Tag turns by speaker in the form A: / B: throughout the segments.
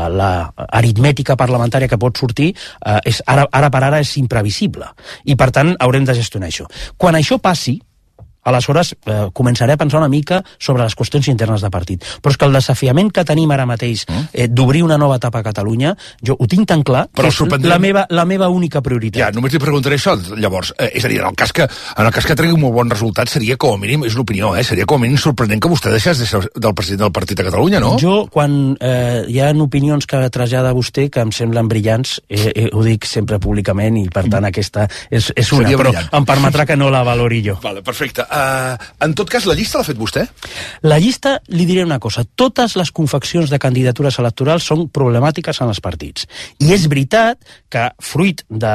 A: l'aritmètica parlamentària que pot sortir ara per ara és imprevisible, i per tant haurem de gestionar això. Quan això passi, aleshores començaré a pensar una mica sobre les qüestions internes de partit. Però és que el desafiament que tenim ara mateix d'obrir una nova etapa a Catalunya, jo ho tinc tan clar que és la meva única prioritat.
B: Ja, només li preguntaré això, llavors. És a dir, en el cas que tregui un molt bon resultat, seria com a mínim, és l'opinió, seria com a mínim sorprenent que vostè deixés de ser del president del partit a Catalunya, no?
A: Jo, quan hi ha opinions que trasllada vostè que em semblen brillants, ho dic sempre públicament, i per tant aquesta és una, però em permetrà que no la valori jo.
B: Vale, perfecte. En tot cas, la llista l'ha fet vostè?
A: La llista, li diré una cosa, totes les confeccions de candidatures electorals són problemàtiques en els partits. I és veritat que, fruit de,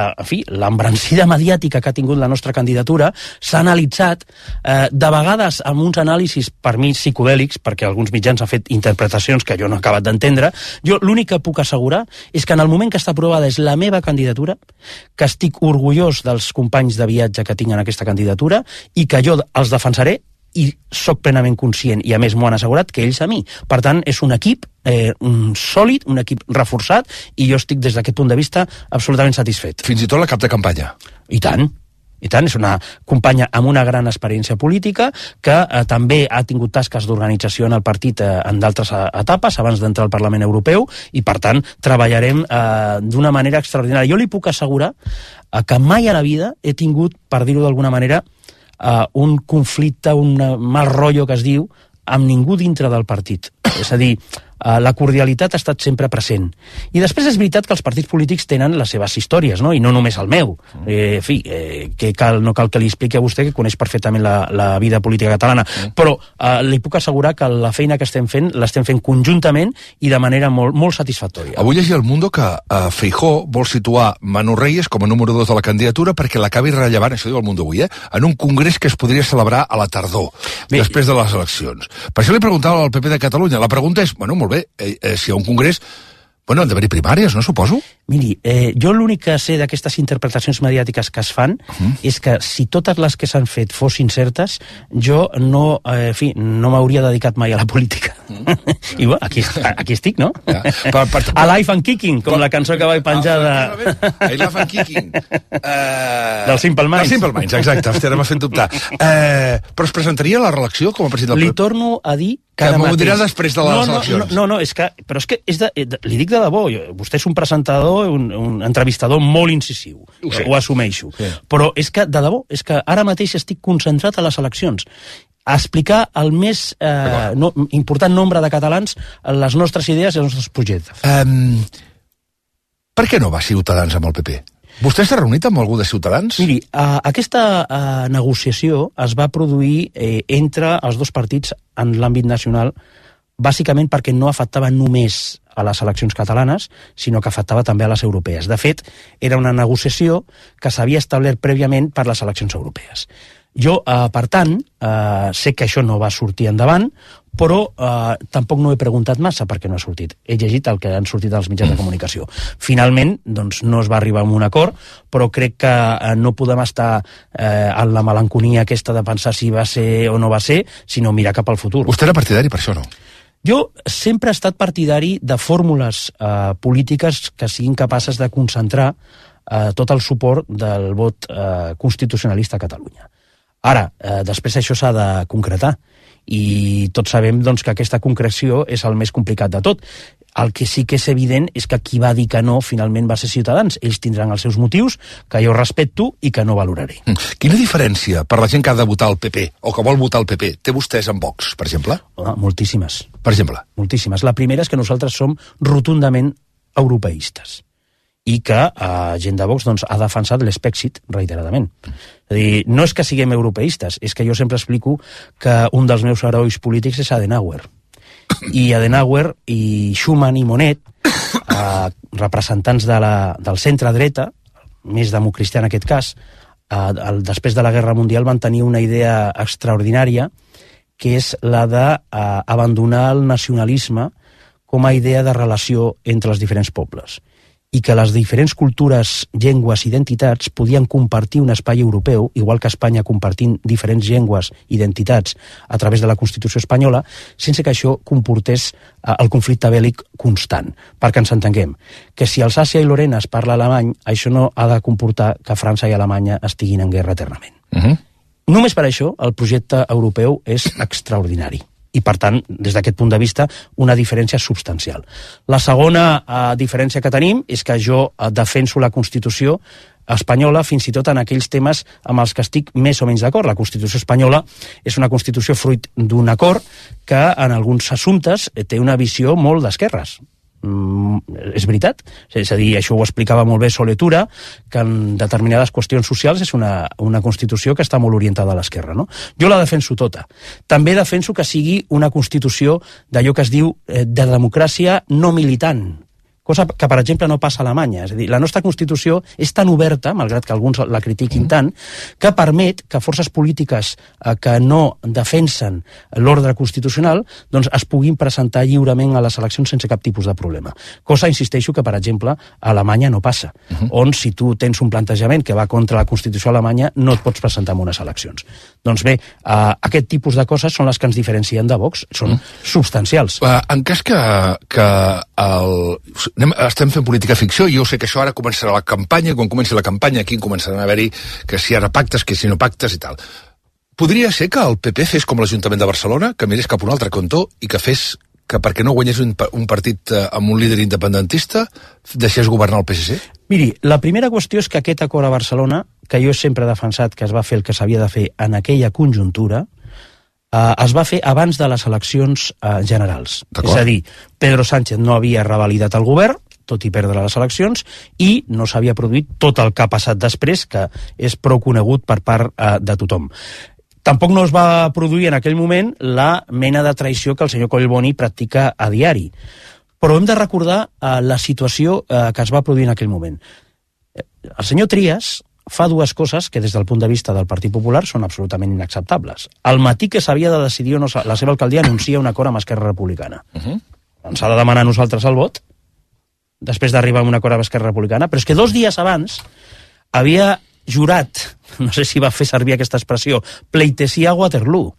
A: l'embrancida mediàtica que ha tingut la nostra candidatura, s'ha analitzat, de vegades amb uns anàlisis, per mi, psicodèlics, perquè alguns mitjans han fet interpretacions que jo no he acabat d'entendre. Jo l'únic que puc assegurar és que en el moment que està aprovada és la meva candidatura, que estic orgullós dels companys de viatge que tinc en aquesta candidatura, i que jo els defensaré, i sóc plenament conscient, i a més m'ho han assegurat, que ells a mi. Per tant, és un equip sòlid, un equip reforçat, i jo estic des d'aquest punt de vista absolutament satisfet.
B: Fins i tot la cap de campanya?
A: I tant, és una companya amb una gran experiència política que també ha tingut tasques d'organització en el partit en d'altres etapes abans d'entrar al Parlament Europeu, i per tant treballarem d'una manera extraordinària. Jo li puc assegurar que mai a la vida he tingut, per dir-ho d'alguna manera, un conflicte, un mal rotllo que es diu, amb ningú dintre del partit. És a dir, la cordialitat ha estat sempre present. I després és veritat que els partits polítics tenen les seves històries, no? I no només el meu. No cal que li expliqui a vostè, que coneix perfectament la vida política catalana, però li puc assegurar que la feina que estem fent l'estem fent conjuntament i de manera molt, molt satisfactòria.
B: Avui llegia al Mundo que Feijóo vol situar Manu Reyes com a número 2 de la candidatura perquè l'acabi rellevant, això diu el Mundo avui, en un congrés que es podria celebrar a la tardor, després de les eleccions. Per això li preguntava al PP de Catalunya. La pregunta és, molt bé, si hi ha un congrés, han d'haver-hi primàries, no, suposo?
A: Miri, jo l'únic que sé d'aquestes interpretacions mediàtiques que es fan és que si totes les que s'han fet fossin certes, jo no m'hauria dedicat mai a la política. I bueno, aquí estic, no? Alive and Kicking, com la cançó que vaig penjar de...
B: Alive and Kicking.
A: Del Simple Minds.
B: Del Simple Minds, exacte, ara m'ha fet dubtar. Però es presentaria a la reelecció com a president del
A: Li torno a dir que
B: m'ho dirà després de les eleccions.
A: No, però és que li dic de debò, vostè és un presentador, un entrevistador molt incisiu, ho assumeixo, però és que, de debò, és que ara mateix estic concentrat a les eleccions, a explicar el més important nombre de catalans les nostres idees i els nostres projectes.
B: Per què no va Ciutadans amb el PP? Vostè s'ha reunit amb algú de Ciutadans?
A: Miri, aquesta negociació es va produir entre els dos partits en l'àmbit nacional, bàsicament perquè no afectava només a les eleccions catalanes, sinó que afectava també a les europees. De fet, era una negociació que s'havia establert prèviament per les eleccions europees. Jo, per tant, sé que això no va sortir endavant, però tampoc no he preguntat massa perquè no ha sortit. He llegit el que han sortit als mitjans de comunicació. Finalment, doncs, no es va arribar a un acord, però crec que no podem estar en la melanconia aquesta de pensar si va ser o no va ser, sinó mirar cap al futur.
B: Vostè era partidari per això, no?
A: Jo sempre he estat partidari de fórmules polítiques que siguin capaces de concentrar tot el suport del vot constitucionalista a Catalunya. Ara, després això s'ha de concretar, i tots sabem doncs, que aquesta concreció és el més complicat de tot. El que sí que és evident és que qui va dir que no finalment va ser Ciutadans. Ells tindran els seus motius, que jo respecto i que no valoraré.
B: Quina diferència per la gent que ha de votar el PP o que vol votar el PP té vostès amb Vox, per exemple?
A: Moltíssimes.
B: Per exemple?
A: Moltíssimes. La primera és que nosaltres som rotundament europeistes i que gent de Vox doncs, ha defensat l'Spexit reiteradament. És a dir, no és que siguem europeistes, és que jo sempre explico que un dels meus herois polítics és Adenauer. I Adenauer i Schuman i Monet, representants del centre-dreta, més democristià en aquest cas, després de la Guerra Mundial van tenir una idea extraordinària, que és la d'abandonar el nacionalisme com a idea de relació entre els diferents pobles. i que les diferents cultures, llengües i identitats podien compartir un espai europeu, igual que Espanya compartint diferents llengües i identitats a través de la Constitució espanyola, sense que això comportés el conflicte bèl·lic constant. Perquè ens entenguem, que si Alsàcia i Lorena es parla alemany, això no ha de comportar que França i Alemanya estiguin en guerra eternament. Només per això el projecte europeu és extraordinari. I, per tant, des d'aquest punt de vista, una diferència substancial. La segona diferència que tenim és que jo defenso la Constitució espanyola fins i tot en aquells temes amb els que estic més o menys d'acord. La Constitució espanyola és una Constitució fruit d'un acord que en alguns assumptes té una visió molt d'esquerres. És veritat, és a dir, això ho explicava molt bé Soletura, que en determinades qüestions socials és una Constitució que està molt orientada a l'esquerra, no? Jo la defenso tota. També defenso que sigui una Constitució d'allò que es diu de democràcia no militant, cosa que, per exemple, no passa a Alemanya. És a dir, la nostra Constitució és tan oberta, malgrat que alguns la critiquin tant, que permet que forces polítiques que no defensen l'ordre constitucional doncs es puguin presentar lliurement a les eleccions sense cap tipus de problema. Cosa, insisteixo, que, per exemple, a Alemanya no passa, on si tu tens un plantejament que va contra la Constitució alemanya no et pots presentar en unes eleccions. Doncs bé, aquest tipus de coses són les que ens diferencien de Vox, són substancials.
B: En cas que estem fent política ficció, i jo sé que això ara començarà la campanya, quan comenci la campanya aquí començaran a haver-hi que si ara pactes, que si no pactes i tal. Podria ser que el PP fes com l'Ajuntament de Barcelona, que mirés cap a un altre cantó i que fes que perquè no guanyés un partit amb un líder independentista deixés governar el PSC?
A: Miri, la primera qüestió és que aquest acord a Barcelona, que jo sempre he defensat que es va fer el que s'havia de fer en aquella conjuntura, es va fer abans de les eleccions generals. És a dir, Pedro Sánchez no havia revalidat el govern, tot i perdre les eleccions, i no s'havia produït tot el que ha passat després, que és prou conegut per part de tothom. Tampoc no es va produir en aquell moment la mena de traïció que el senyor Collboni practica a diari. Però hem de recordar la situació que es va produir en aquell moment. El senyor Trias fa dues coses que des del punt de vista del Partit Popular són absolutament inacceptables. Al matí que s'havia de decidir o no, la seva alcaldia anuncia un acord amb Esquerra Republicana. Ens ha de demanar a nosaltres el vot, després d'arribar a un acord amb Esquerra Republicana, però és que 2 dies abans havia jurat, no sé si va fer servir aquesta expressió, pleitesia a Waterloo.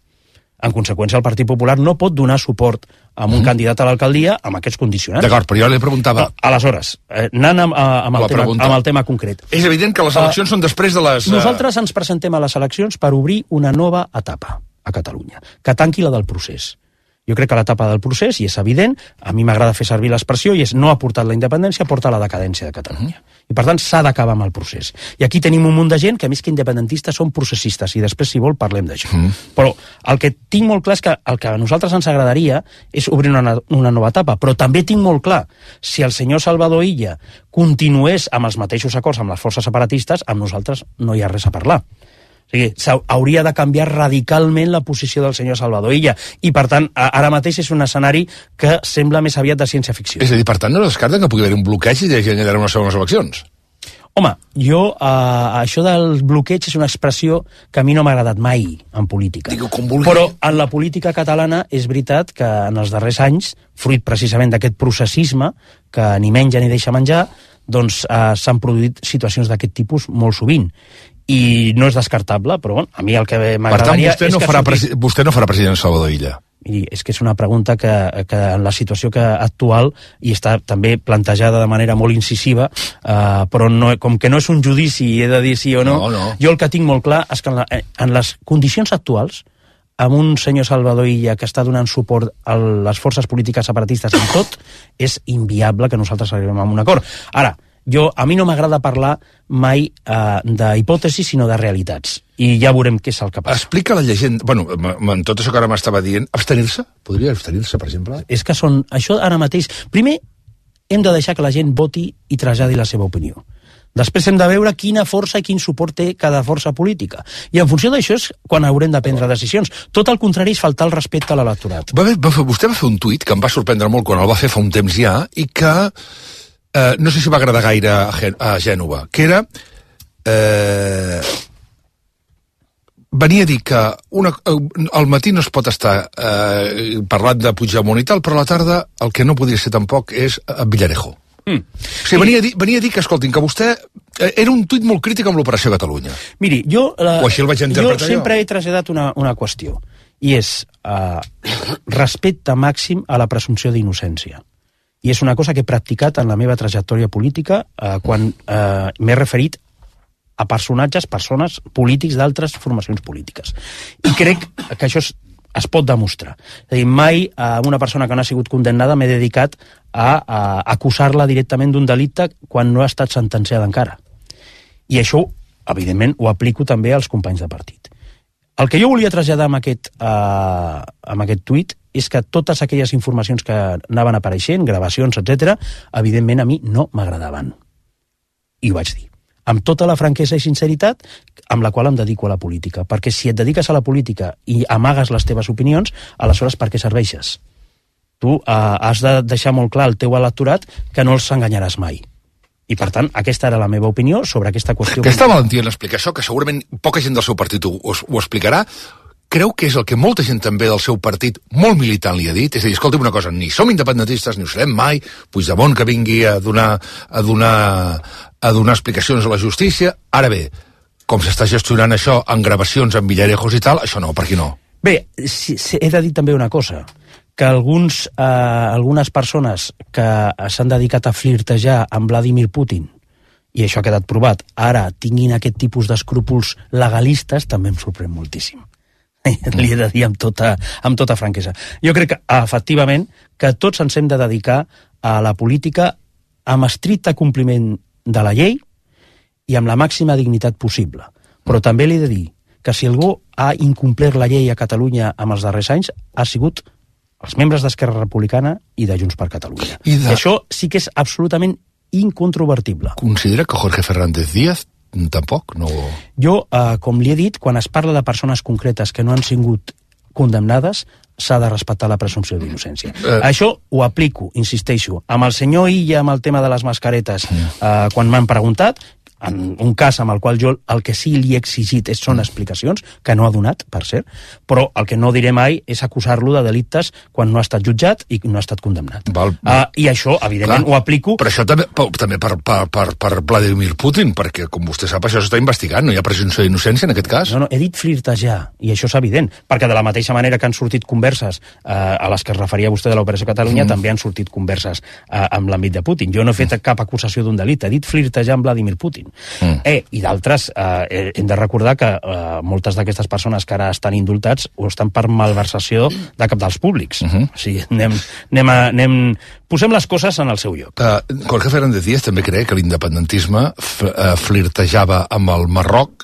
A: En conseqüència, el Partit Popular no pot donar suport a un candidat a l'alcaldia amb aquests condicionants.
B: D'acord, però jo li preguntava...
A: Aleshores, anant amb el tema concret.
B: És evident que les eleccions són després de les...
A: Nosaltres ens presentem a les eleccions per obrir una nova etapa a Catalunya, que tanqui la del procés. Jo crec que l'etapa del procés, i és evident, a mi m'agrada fer servir l'expressió, i és no ha portat la independència, porta la decadència de Catalunya. I per tant s'ha d'acabar amb el procés. I aquí tenim un munt de gent que més que independentistes són processistes, i després, si vol, parlem d'això. Però el que tinc molt clar és que el que a nosaltres ens agradaria és obrir una nova etapa, però també tinc molt clar, si el senyor Salvador Illa continués amb els mateixos acords amb les forces separatistes, amb nosaltres no hi ha res a parlar. O sigui, hauria de canviar radicalment la posició del senyor Salvador Illa, i per tant ara mateix és un escenari que sembla més aviat de ciència-ficció.
B: És a dir, per tant, no descarten que pugui haver un bloqueig i generar unes segones eleccions?
A: Home, jo, això del bloqueig és una expressió que a mi no m'ha agradat mai en política.
B: Digo, com vulgui.
A: Però en la política catalana és veritat que en els darrers anys, fruit precisament d'aquest processisme, que ni menja ni deixa menjar, doncs s'han produït situacions d'aquest tipus molt sovint. I no és descartable, però bueno, a mi el que m'agradaria...
B: Per tant, vostè no farà president Salvador Illa?
A: Miri, és que és una pregunta que en la situació actual, i està també plantejada de manera molt incisiva, però no, com que no és un judici i he de dir sí o no, jo el que tinc molt clar és que en les condicions actuals, amb un senyor Salvador Illa que està donant suport a les forces polítiques separatistes en tot, és inviable que nosaltres arribem a un acord. Ara, a mi no m'agrada parlar mai d'hipòtesis, sinó de realitats. I ja veurem què és el que passa.
B: Explica la llegenda... Bueno, en tot això que ara m'estava dient, abstenir-se? Podria abstenir-se, per exemple?
A: És que això ara mateix... Primer, hem de deixar que la gent voti i traslladi la seva opinió. Després hem de veure quina força i quin suport té cada força política. I en funció d'això és quan haurem de prendre decisions. Tot el contrari és faltar el respecte a l'electorat.
B: Vostè va fer un tuit que em va sorprendre molt quan el va fer fa un temps ja, i que... no sé si va agradar gaire a Gènova, que era venia a dir que al matí no es pot estar parlant de Puigdemont i tal, però a la tarda el que no podria ser tampoc és Villarejo. Venia a dir que, escoltin, que vostè era un tuit molt crític amb l'Operació Catalunya.
A: Miri,
B: o així el vaig interpretar
A: jo sempre he traslladat una qüestió, i és respecte màxim a la presumpció d'innocència. I és una cosa que he practicat en la meva trajectòria política quan m'he referit a persones polítics d'altres formacions polítiques. I crec que això es pot demostrar. És a dir, mai a una persona que no ha sigut condemnada m'he dedicat a acusar-la directament d'un delicte quan no ha estat sentenciada encara. I això, evidentment, ho aplico també als companys de partit. El que jo volia traslladar amb aquest tuit és que totes aquelles informacions que anaven apareixent, gravacions, etc., evidentment a mi no m'agradaven. I ho vaig dir. Amb tota la franquesa i sinceritat amb la qual em dedico a la política. Perquè si et dediques a la política i amagues les teves opinions, aleshores per què serveixes? Tu has de deixar molt clar al teu electorat que no els enganyaràs mai. I, per tant, aquesta era la meva opinió sobre aquesta qüestió.
B: Aquesta valentia en explicar això, que segurament poca gent del seu partit ho explicarà, creu que és el que molta gent també del seu partit, molt militant, li ha dit? És a dir, escolta'm una cosa, ni som independentistes, ni ho serem mai, Puigdemont que vingui a donar explicacions a la justícia. Ara bé, com s'està gestionant això en gravacions, en villarejos i tal, això no, per aquí no.
A: Bé, he de dir també una cosa, que algunes persones que s'han dedicat a flirtejar amb Vladimir Putin, i això ha quedat provat, ara tinguin aquest tipus d'escrúpols legalistes, també em sorprèn moltíssim. Li he de dir amb tota franquesa. Jo crec que, efectivament, que tots ens hem de dedicar a la política amb estricte compliment de la llei i amb la màxima dignitat possible. Però també li he de dir que si algú ha incomplert la llei a Catalunya en els darrers anys ha sigut els membres d'Esquerra Republicana i de Junts per Catalunya. I això sí que és absolutament incontrovertible.
B: Considera que Jorge Fernández Díaz tampoc? No...
A: Jo, com li he dit, quan es parla de persones concretes que no han sigut condemnades, s'ha de respectar la presumpció d'innocència. Això ho aplico, insisteixo, amb el senyor Illa, amb el tema de les mascaretes, quan m'han preguntat, en un cas amb el qual jo el que sí li he exigit són explicacions, que no ha donat, per cert, però el que no diré mai és acusar-lo de delictes quan no ha estat jutjat i no ha estat condemnat. I això, evidentment, ho aplico...
B: Però això també per Vladimir Putin, perquè, com vostè sap, això s'està investigant, no hi ha presumpció d'innocència en aquest cas?
A: No, he dit flirtejar, i això és evident, perquè de la mateixa manera que han sortit converses a les que es referia vostè de l'Operació Catalunya, també han sortit converses amb l'àmbit de Putin. Jo no he fet cap acusació d'un delicte, he dit flirtejar amb Vladimir Putin. I d'altres, hem de recordar que moltes d'aquestes persones que ara estan indultats ho estan per malversació de cabdals públics. O sigui, posem les coses en el seu lloc.
B: Jorge Fernández Díaz també creu que l'independentisme flirtejava amb el Marroc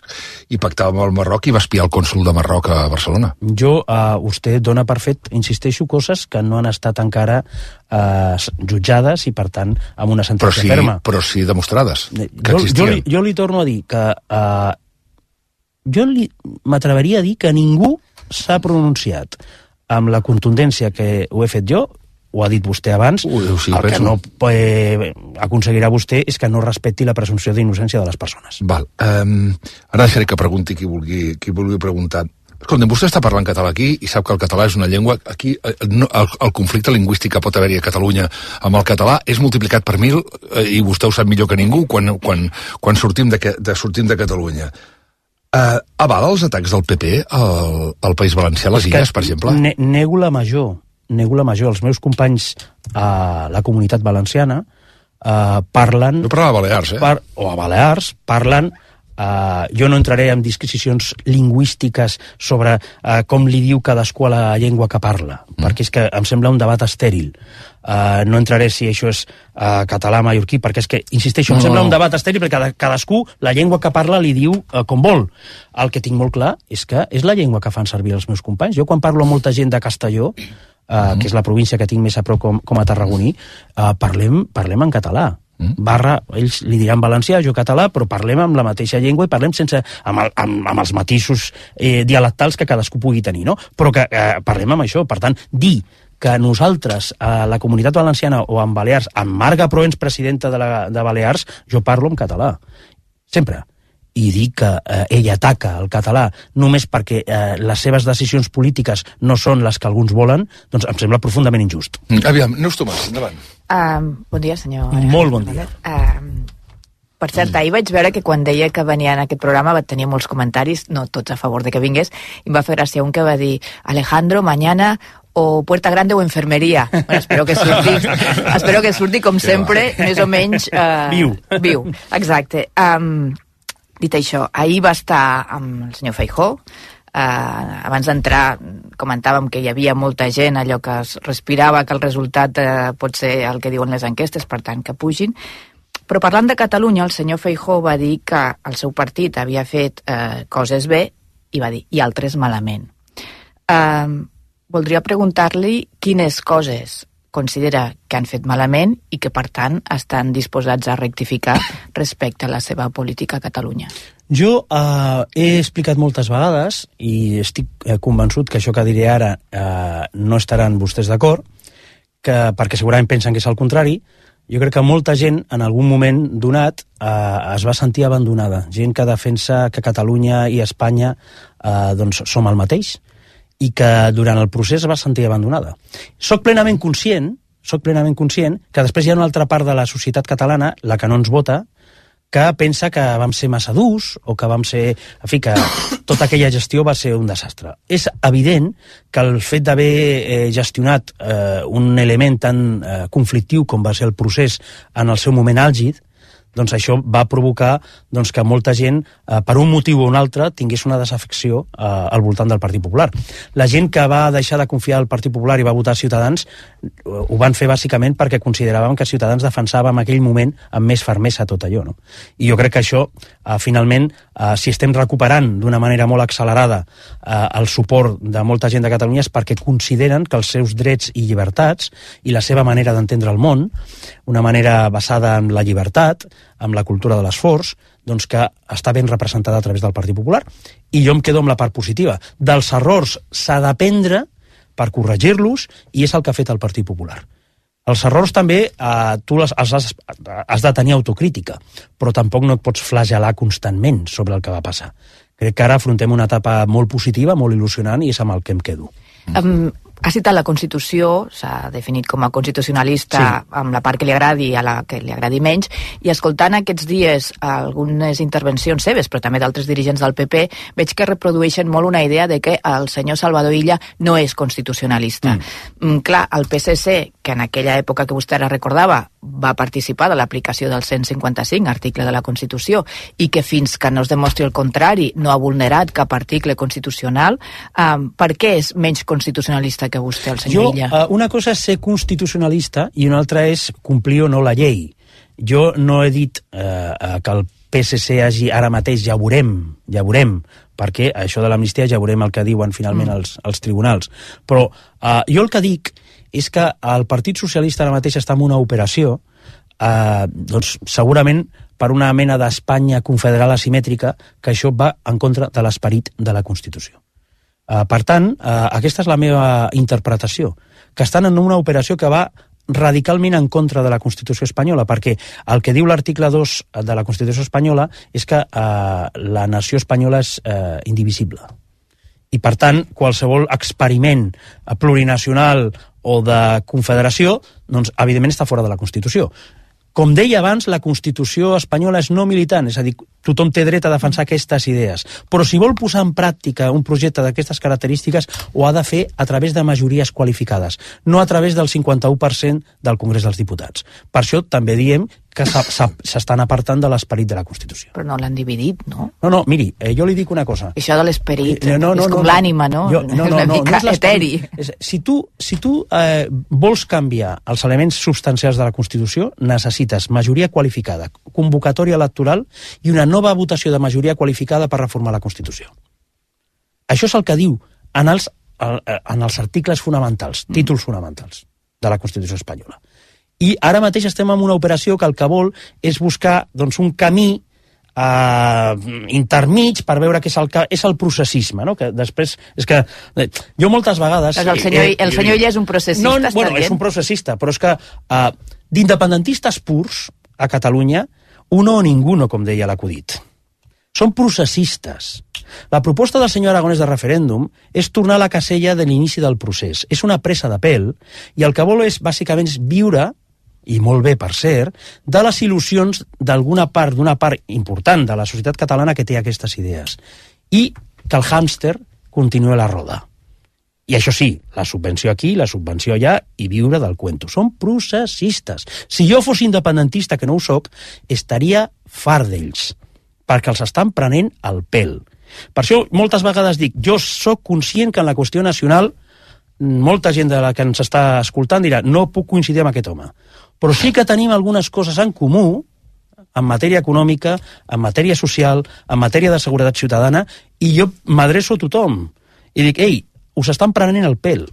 B: i pactava amb el Marroc i va espiar el cònsol de Marroc a Barcelona.
A: Vostè dona per fet, insisteixo, coses que no han estat encara jutjades i, per tant, amb una sentència ferma.
B: Però sí demostrades que existien.
A: Jo li torno a dir que m'atreveria a dir que ningú s'ha pronunciat amb la contundència que ho he fet jo, ho ha dit vostè abans, el que no aconseguirà vostè és que no respecti la presumpció d'innocència de les persones.
B: Val. Ara deixaré que pregunti qui vulgui preguntar. Escolta, vostè està parlant català aquí i sap que el català és una llengua... Aquí el conflicte lingüístic que pot haver-hi a Catalunya amb el català és multiplicat per 1000 i vostè ho sap millor que ningú quan sortim de Catalunya. Avala els atacs del PP al País Valencià, a les Illes, per exemple?
A: Nego la major. Els meus companys a la Comunitat Valenciana parlen...
B: No parla a Balears,
A: o a Balears, parlen... jo no entraré en disquisicions lingüístiques sobre com li diu cadascú a la llengua que parla, perquè és que em sembla un debat estèril. No entraré si això és català, mallorquí, perquè és que, insisteixo, em sembla un debat estèril perquè cadascú la llengua que parla li diu com vol. El que tinc molt clar és que és la llengua que fan servir els meus companys. Jo quan parlo amb molta gent de Castelló, que és la província que tinc més a prop com a tarragoní, parlem en català. Ells li diran valencià, jo català, però parlem amb la mateixa llengua i parlem amb els matisos dialectals que cadascú pugui tenir, no? Però que parlem amb això. Per tant, dir que nosaltres, a la Comunitat Valenciana o en Balears, amb Marga Proens, presidenta de Balears, jo parlo en català. Sempre. i dir que ell ataca el català només perquè les seves decisions polítiques no són les que alguns volen, doncs em sembla profundament injust.
B: Aviam, Neus Tomàs, endavant.
C: Bon dia, senyor.
A: Molt bon dia.
C: Per cert, ahir vaig veure que quan deia que venia en aquest programa va tenir molts comentaris, no tots a favor de que vingués, i em va fer gràcia un que va dir Alejandro, mañana o Puerta Grande o Enfermeria. Bueno, espero que surti com sempre, més o menys... Viu, exacte. Dit això, ahir va estar amb el senyor Feijóo. Abans d'entrar comentàvem que hi havia molta gent, allò que es respirava que el resultat pot ser el que diuen les enquestes, per tant que pugin. Però parlant de Catalunya, el senyor Feijóo va dir que el seu partit havia fet coses bé i va dir, i altres malament. Voldria preguntar-li quines coses considera que han fet malament i que, per tant, estan disposats a rectificar respecte a la seva política a Catalunya.
A: Jo he explicat moltes vegades, i estic convençut que això que diré ara no estaran vostès d'acord, perquè segurament pensen que és el contrari. Jo crec que molta gent, en algun moment donat, es va sentir abandonada. Gent que defensa que Catalunya i Espanya doncs, som el mateix, i que durant el procés es va sentir abandonada. Soc plenament conscient que després hi ha una altra part de la societat catalana, la que no ens vota, que pensa que vam ser massa durs o que vam ser... En fi, que tota aquella gestió va ser un desastre. És evident que el fet d'haver gestionat un element tan conflictiu com va ser el procés en el seu moment àlgid, doncs això va provocar doncs, que molta gent, per un motiu o un altre, tingués una desafecció al voltant del Partit Popular. La gent que va deixar de confiar al Partit Popular i va votar Ciutadans ho van fer bàsicament perquè consideraven que Ciutadans defensava en aquell moment amb més fermesa tot allò. No? I jo crec que això, finalment, si estem recuperant d'una manera molt accelerada el suport de molta gent de Catalunya és perquè consideren que els seus drets i llibertats i la seva manera d'entendre el món, una manera basada en la llibertat, amb la cultura de l'esforç, doncs que està ben representada a través del Partit Popular. I jo em quedo amb la part positiva. Dels errors s'ha d'aprendre per corregir-los, i és el que ha fet el Partit Popular. Els errors també tu has de tenir autocrítica, però tampoc no et pots flagelar constantment sobre el que va passar. Crec que ara afrontem una etapa molt positiva, molt il·lusionant, i és amb el que em quedo.
C: Ha citat la Constitució, s'ha definit com a constitucionalista, sí, amb la part que li agradi i a la que li agradi menys, i escoltant aquests dies algunes intervencions seves, però també d'altres dirigents del PP, veig que reprodueixen molt una idea de que el senyor Salvador Illa no és constitucionalista. Clar, el PSC, que en aquella època que vostè ara recordava, va participar de l'aplicació del 155, article de la Constitució, i que fins que no es demostri el contrari no ha vulnerat cap article constitucional, per què és menys constitucionalista que vostè, el senyor Illa?
A: Una cosa és ser constitucionalista i una altra és complir o no la llei. Jo no he dit que el PSC hagi ara mateix, ja veurem, perquè això de l'amnistia ja veurem el que diuen finalment els tribunals. Però jo el que dic és que el Partit Socialista ara mateix està en una operació, doncs segurament per una mena d'Espanya confederal asimètrica, que això va en contra de l'esperit de la Constitució. Per tant, aquesta és la meva interpretació, que estan en una operació que va radicalment en contra de la Constitució espanyola, perquè el que diu l'article 2 de la Constitució espanyola és que la nació espanyola és indivisible. I, per tant, qualsevol experiment plurinacional o de confederació, doncs, evidentment està fora de la Constitució. Com deia abans, la Constitució espanyola és no militant, és a dir, tothom té dret a defensar aquestes idees. Però si vol posar en pràctica un projecte d'aquestes característiques, ho ha de fer a través de majories qualificades, no a través del 51% del Congrés dels Diputats. Per això també diem que s'estan apartant de l'esperit de la Constitució.
C: Però no l'han dividit, no?
A: No, miri, jo li dic una cosa.
C: Això de l'esperit és com l'ànima, no? Una mica eteri.
A: Si tu vols canviar els elements substancials de la Constitució, necessites majoria qualificada, convocatòria electoral i una nova votació de majoria qualificada per reformar la Constitució. Això és el que diu en els articles fonamentals, títols fonamentals de la Constitució espanyola. I ara mateix estem en una operació que el que vol és buscar doncs, un camí intermig per veure què és el processisme, no? Que després és que jo moltes vegades...
C: El senyor Illa és un processista,
A: no, bueno, és un processista, però és que d'independentistes purs a Catalunya, uno o ninguno, com deia l'acudit. Són processistes. La proposta del senyor Aragonès de referèndum és tornar a la casella de l'inici del procés. És una presa de pèl i el que vol és, bàsicament, viure, i molt bé, per cert, de les il·lusions d'una part important de la societat catalana que té aquestes idees. I que el hàmster continuï la roda. I això sí, la subvenció aquí, la subvenció allà, i viure del cuento. Són processistes. Si jo fos independentista, que no ho soc, estaria fart d'ells, perquè els estan prenent el pèl. Per això moltes vegades dic, jo sóc conscient que en la qüestió nacional molta gent de la que ens està escoltant dirà no puc coincidir amb aquest home, però sí que tenim algunes coses en comú en matèria econòmica, en matèria social, en matèria de seguretat ciutadana, i jo m'adreço a tothom i dic, ei, us estan prenent el pèl,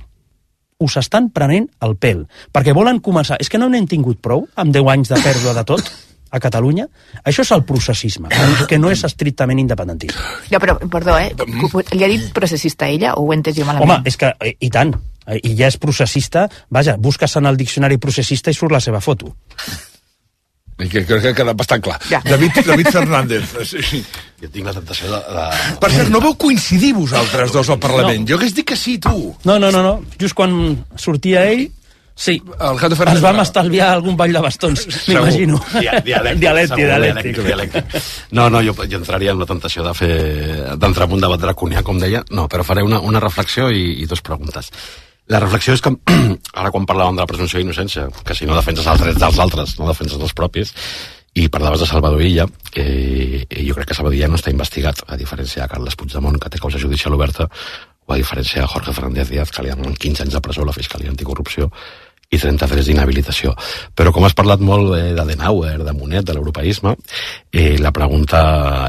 A: perquè volen començar. És que no n'hem tingut prou amb 10 anys de pèrdua de tot a Catalunya? Això és el processisme, que no és estrictament independentisme.
C: Ja, però, perdó, li ha dit processista a ella o ho he entès jo malament?
A: Home, és que, i tant, i ja és processista, vaja, busques en el diccionari processista i surt la seva foto.
B: Que crec que ha quedat bastant clar. Ja. David Fernández. Sí.
D: Jo tinc la tentació de...
B: Per cert, no vau coincidir vosaltres dos al Parlament. No. Jo hagués dit que sí, tu.
A: No. Just quan sortia ell, sí, ens vam estalviar algun ball de bastons, m'imagino.
D: Dialèctic. No, jo entraria en la tentació d'entrar en un debat draconià, com deia. No, però faré una reflexió i dues preguntes. La reflexió és que, ara quan parlàvem de la presumpció d'innocència, que si no defenses els drets dels altres, no defenses els propis, i parlaves de Salvador Illa, jo crec que Salvador Illa no està investigat, a diferència de Carles Puigdemont, que té causa judicial oberta, o a diferència de Jorge Fernández Díaz, que li donen 15 anys de presó a la Fiscalia Anticorrupció i 33 d'inhabilitació. Però com has parlat molt d'Adenauer, de Monet, de l'europeisme, la pregunta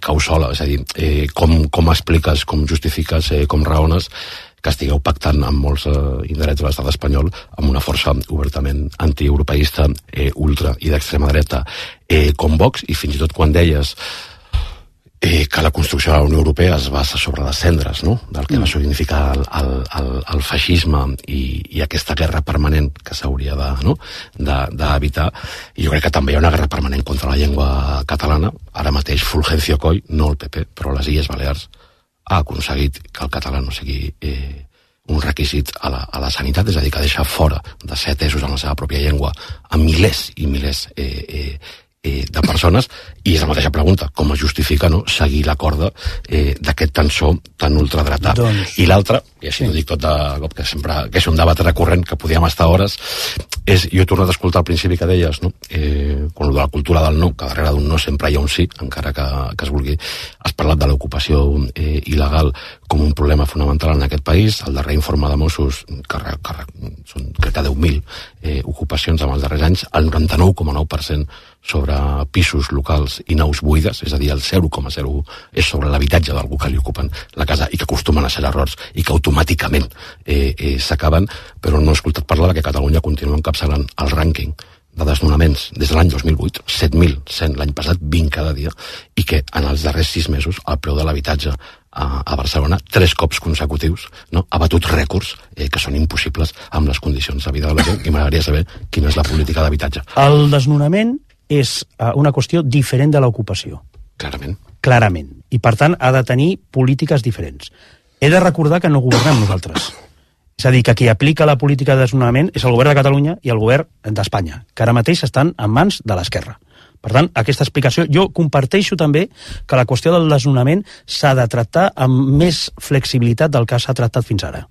D: cau sola, és a dir, com expliques, com justifiques, com raones que estigueu pactant amb molts indrets de l'estat espanyol amb una força obertament antieuropeista, ultra i d'extrema dreta com Vox, i fins i tot quan deies que la construcció de la Unió Europea es basa sobre les cendres, no?, del que va significar el feixisme i aquesta guerra permanent que s'hauria d'evitar. I jo crec que també hi ha una guerra permanent contra la llengua catalana. Ara mateix Fulgencio Coll, no el PP, però les Illes Balears, ha aconseguit que el català no sigui un requisit a la sanitat, és a dir, que deixa fora de ser atesos en la seva pròpia llengua a milers i milers de persones, i és la mateixa pregunta, com es justifica seguir la corda d'aquest tensor tan ultradretà. I l'altra, i així ho dic tot de cop, que sempre que és un debat recurrent que podíem estar hores, és, jo he tornat a escoltar al principi que deies, quan de la cultura del no, que darrere d'un no sempre hi ha un sí, encara que es vulgui. Has parlat de l'ocupació il·legal com un problema fonamental en aquest país. El darrer informe de Mossos, són crec que 10.000 ocupacions en els darrers anys, el 99,9% sobre pisos locals i naus buides, és a dir, el 0,0 és sobre l'habitatge d'algú que li ocupen la casa i que acostumen a ser errors i que automàticament s'acaben, però no he escoltat parlar que Catalunya continua encapçalant el rànquing de desnonaments des de l'any 2008, 7.100 l'any passat, 20 cada dia, i que en els darrers 6 mesos el preu de l'habitatge a Barcelona, 3 cops consecutius, ha batut rècords que són impossibles amb les condicions de vida de la gent, i m'agradaria saber quina és la política d'habitatge.
A: El desnonament és una qüestió diferent de l'ocupació. Clarament. I, per tant, ha de tenir polítiques diferents. He de recordar que no governem nosaltres. És a dir, que qui aplica la política de desnonament és el govern de Catalunya i el govern d'Espanya, que ara mateix estan en mans de l'esquerra. Per tant, aquesta explicació, jo comparteixo també que la qüestió del desnonament s'ha de tractar amb més flexibilitat del que s'ha tractat fins ara.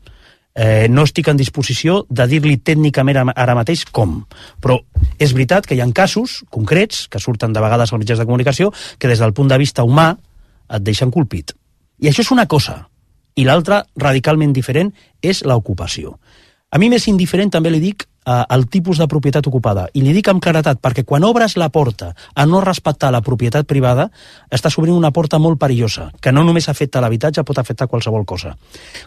A: No estic en disposició de dir-li tècnicament ara mateix com, però és veritat que hi ha casos concrets que surten de vegades als mitjans de comunicació que des del punt de vista humà et deixen colpit. I això és una cosa, i l'altra, radicalment diferent, és l'ocupació. A mi més indiferent també li dic el tipus de propietat ocupada, i li dic amb claretat, perquè quan obres la porta a no respectar la propietat privada, estàs obrint una porta molt perillosa, que no només afecta l'habitatge, pot afectar qualsevol cosa.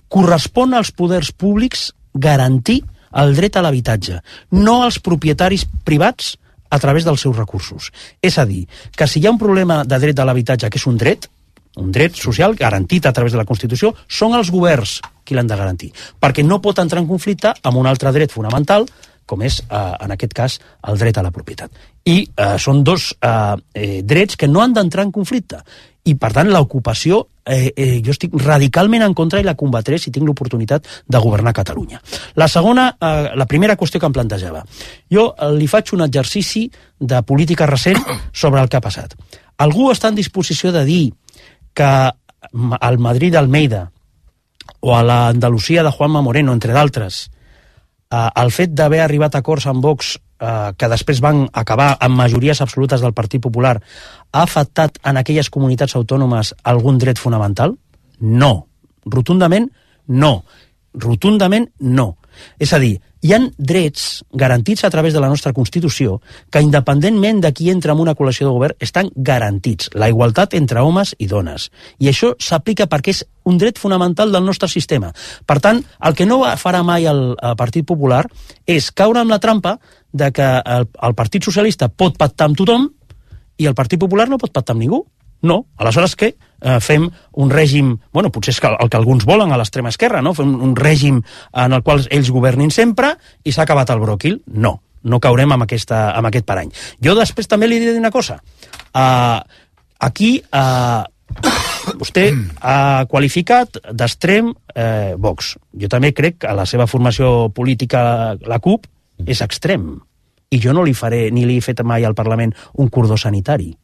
A: Correspon als poders públics garantir el dret a l'habitatge, no als propietaris privats a través dels seus recursos. És a dir, que si hi ha un problema de dret a l'habitatge, que és un dret social garantit a través de la Constitució, són els governs qui l'han de garantir, perquè no pot entrar en conflicte amb un altre dret fonamental, com és, en aquest cas, el dret a la propietat. I són dos drets que no han d'entrar en conflicte. I, per tant, l'ocupació, jo estic radicalment en contra i la combatré si tinc l'oportunitat de governar Catalunya. La primera qüestió que em plantejava. Jo li faig un exercici de política recent sobre el que ha passat. Algú està en disposició de dir que al Madrid d'Almeida o a l'Andalusia de Juanma Moreno, entre d'altres, el fet d'haver arribat a acords amb Vox que després van acabar amb majories absolutes del Partit Popular ha afectat en aquelles comunitats autònomes algun dret fonamental? No. Rotundament no. Rotundament no. És a dir, hi ha drets garantits a través de la nostra Constitució que, independentment de qui entra en una coalició de govern, estan garantits. La igualtat entre homes i dones. I això s'aplica perquè és un dret fonamental del nostre sistema. Per tant, el que no farà mai el Partit Popular és caure amb la trampa de que el Partit Socialista pot pactar amb tothom i el Partit Popular no pot pactar amb ningú. No. Aleshores què? Fem un règim, bueno, potser és el que alguns volen a l'extrema esquerra, no? Fem un règim en el qual ells governin sempre i s'ha acabat el bròquil. No, no caurem amb aquest parany. Jo després també li diré una cosa. Aquí vostè ha qualificat d'extrem Vox. Jo també crec que la seva formació política, la CUP, és extrem. I jo no li faré, ni li he fet mai al Parlament un cordó sanitari.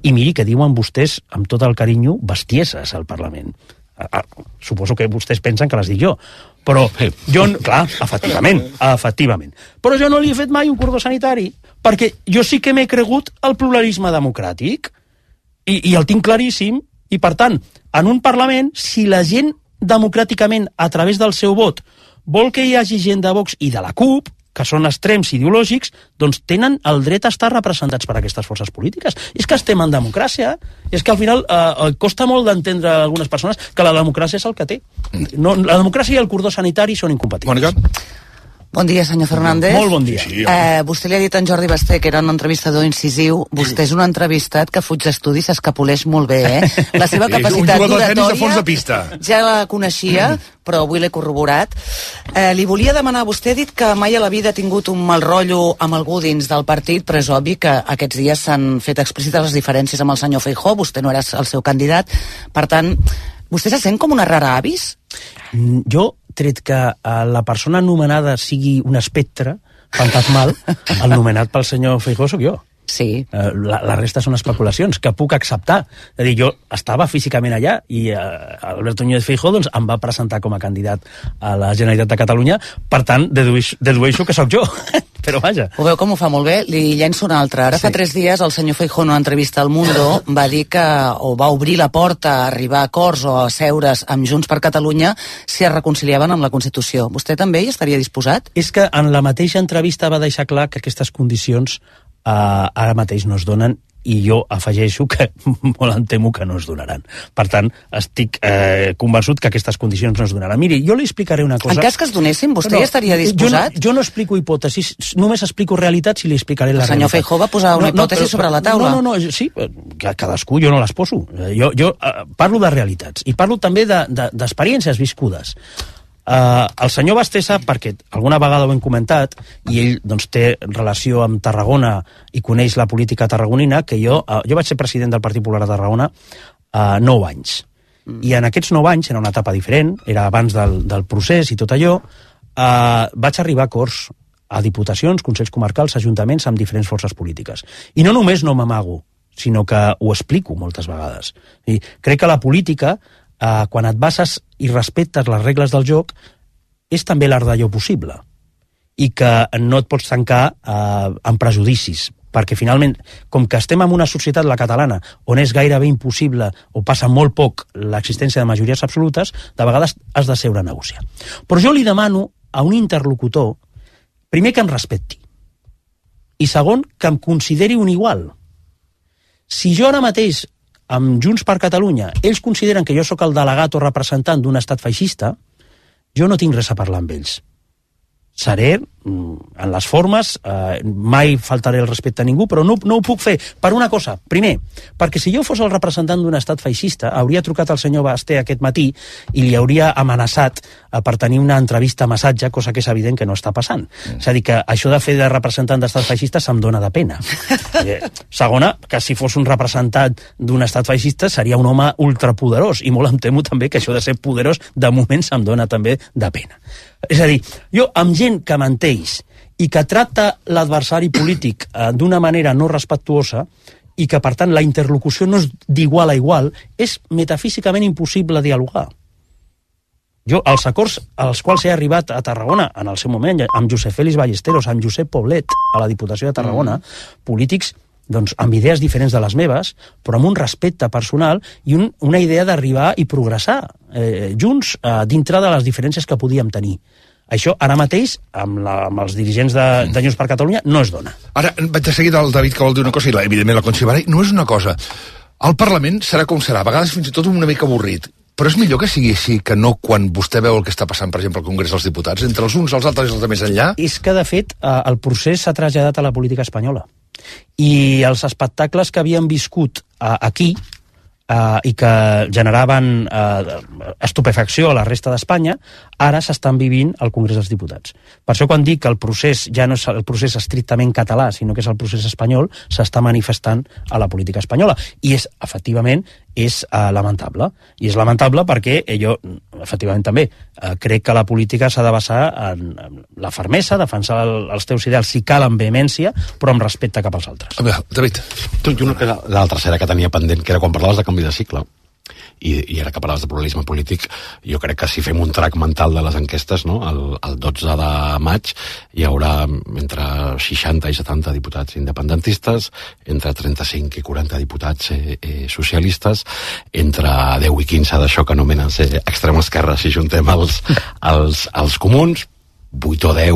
A: I miri que diuen vostès, amb tot el carinyo, bestieses al Parlament. Suposo que vostès pensen que les dic jo. Però jo, clar, efectivament. Però jo no li he fet mai un cordó sanitari, perquè jo sí que m'he cregut el pluralisme democràtic, i el tinc claríssim, i per tant, en un Parlament, si la gent democràticament, a través del seu vot, vol que hi hagi gent de Vox i de la CUP, que són extrems ideològics, doncs tenen el dret a estar representats per aquestes forces polítiques. És que estem en democràcia, és que al final costa molt d'entendre a algunes persones que la democràcia és el que té. No, la democràcia i el cordó sanitari són incompatibles.
B: Mònica?
E: Bon dia, senyor Fernández.
A: Molt bon dia.
B: Sí,
E: vostè li ha dit a en Jordi Basté que era un entrevistador incisiu. Vostè és un entrevistat que fuig d'estudi, s'escapoleix molt bé, La seva capacitat
B: d'oratòria
E: ja la coneixia, però avui l'he corroborat. Li volia demanar, vostè ha dit que mai a la vida ha tingut un mal rotllo amb algú dins del partit, però és obvi que aquests dies s'han fet explícites les diferències amb el senyor Feijóo, vostè no era el seu candidat. Per tant, vostè se sent com una rara avis?
A: Jo, tret que la persona anomenada sigui un espectre fantasmal, el nomenat pel senyor Feijóo soc jo.
E: Sí.
A: La resta són especulacions que puc acceptar. És a dir, jo estava físicament allà i Alberto Núñez Feijóo doncs, em va presentar com a candidat a la Generalitat de Catalunya, per tant, dedueixo que sóc jo. Però vaja.
E: Ho veu com ho fa molt bé? Li llenço una altra. Ara fa 3 dies el senyor Feijóo en una entrevista al Mundo va dir que o va obrir la porta a arribar a acords o a seure's amb Junts per Catalunya si es reconciliaven amb la Constitució. Vostè també hi estaria disposat?
A: És que en la mateixa entrevista va deixar clar que aquestes condicions ara mateix no es donen i jo afegeixo que molt em temo que no es donaran. Per tant, estic convençut que aquestes condicions no es donaran. Miri, jo li explicaré una cosa...
E: En cas que es donessin, vostè hi estaria disposat?
A: Jo no explico hipòtesis, només explico realitats i li explicaré la realitat.
E: El senyor Feijóo va posar una hipòtesi sobre la taula.
A: No, sí, cadascú, jo no les poso. Jo parlo de realitats i parlo també d'experiències viscudes. El senyor Basté sap, perquè alguna vegada ho hem comentat, i ell doncs, té relació amb Tarragona i coneix la política tarragonina, que jo vaig ser president del Partit Popular de Tarragona 9 anys. I en aquests 9 anys, era una etapa diferent, era abans del procés i tot allò, vaig arribar a acords a diputacions, consells comarcals, ajuntaments, amb diferents forces polítiques. I no només no m'amago, sinó que ho explico moltes vegades. I crec que la política, quan et bases i respectes les regles del joc, és també l'art d'allò possible. I que no et pots tancar amb prejudicis, perquè finalment, com que estem en una societat, la catalana, on és gairebé impossible o passa molt poc l'existència de majories absolutes, de vegades has de seure a negociar. Però jo li demano a un interlocutor, primer que em respecti, i segon, que em consideri un igual. Si jo ara mateix amb Junts per Catalunya, ells consideren que jo sóc el delegat o representant d'un estat feixista, jo no tinc res a parlar amb ells. Seré en les formes, mai faltaré el respecte a ningú, però no ho puc fer per una cosa. Primer, perquè si jo fos el representant d'un estat feixista, hauria trucat al senyor Basté aquest matí i li hauria amenaçat per tenir una entrevista a massatge, cosa que és evident que no està passant. És a dir, que això de fer de representant d'estat feixista se'm dona de pena. Segona, que si fos un representant d'un estat feixista seria un home ultrapoderós, i molt em temo també que això de ser poderós de moment se'm dona també de pena. És a dir, jo amb gent que menteix i que tracta l'adversari polític d'una manera no respectuosa i que, per tant, la interlocució no és d'igual a igual, és metafísicament impossible dialogar. Jo, els acords als quals he arribat a Tarragona, en el seu moment, amb Josep Félix Ballesteros, amb Josep Poblet, a la Diputació de Tarragona, polítics doncs, amb idees diferents de les meves, però amb un respecte personal i una idea d'arribar i progressar junts dintre de les diferències que podíem tenir. Això, ara mateix, amb els dirigents de Junts per Catalunya, no es dona.
B: Ara, vaig a seguir del David, que vol dir una cosa, i evidentment la Conchi Baray, no és una cosa. El Parlament serà com serà, a vegades fins i tot una mica avorrit. Però és millor que sigui així que no quan vostè veu el que està passant, per exemple, al Congrés dels Diputats, entre els uns, els altres i els de més enllà?
A: És que, de fet, el procés s'ha traslladat a la política espanyola. I els espectacles que havien viscut aquí i que generaven estupefacció a la resta d'Espanya, ara s'estan vivint al Congrés dels Diputats. Per això quan dic que el procés ja no és el procés estrictament català, sinó que és el procés espanyol, s'està manifestant a la política espanyola. I és, efectivament, és lamentable. I és lamentable perquè jo, efectivament també, crec que la política s'ha de basar en la fermesa, defensar els teus ideals si cal amb vehemència, però amb respecte cap als altres.
B: A veure, David.
D: La tercera que tenia pendent, que era quan parlaves de canvi de cicle, i ara que parlaves de pluralisme polític, jo crec que si fem un track mental de les enquestes, no? el 12 de maig hi haurà entre 60 i 70 diputats independentistes, entre 35 i 40 diputats socialistes, entre 10 i 15 d'això que anomenen ser extrema esquerra si juntem els comuns, 8 o 10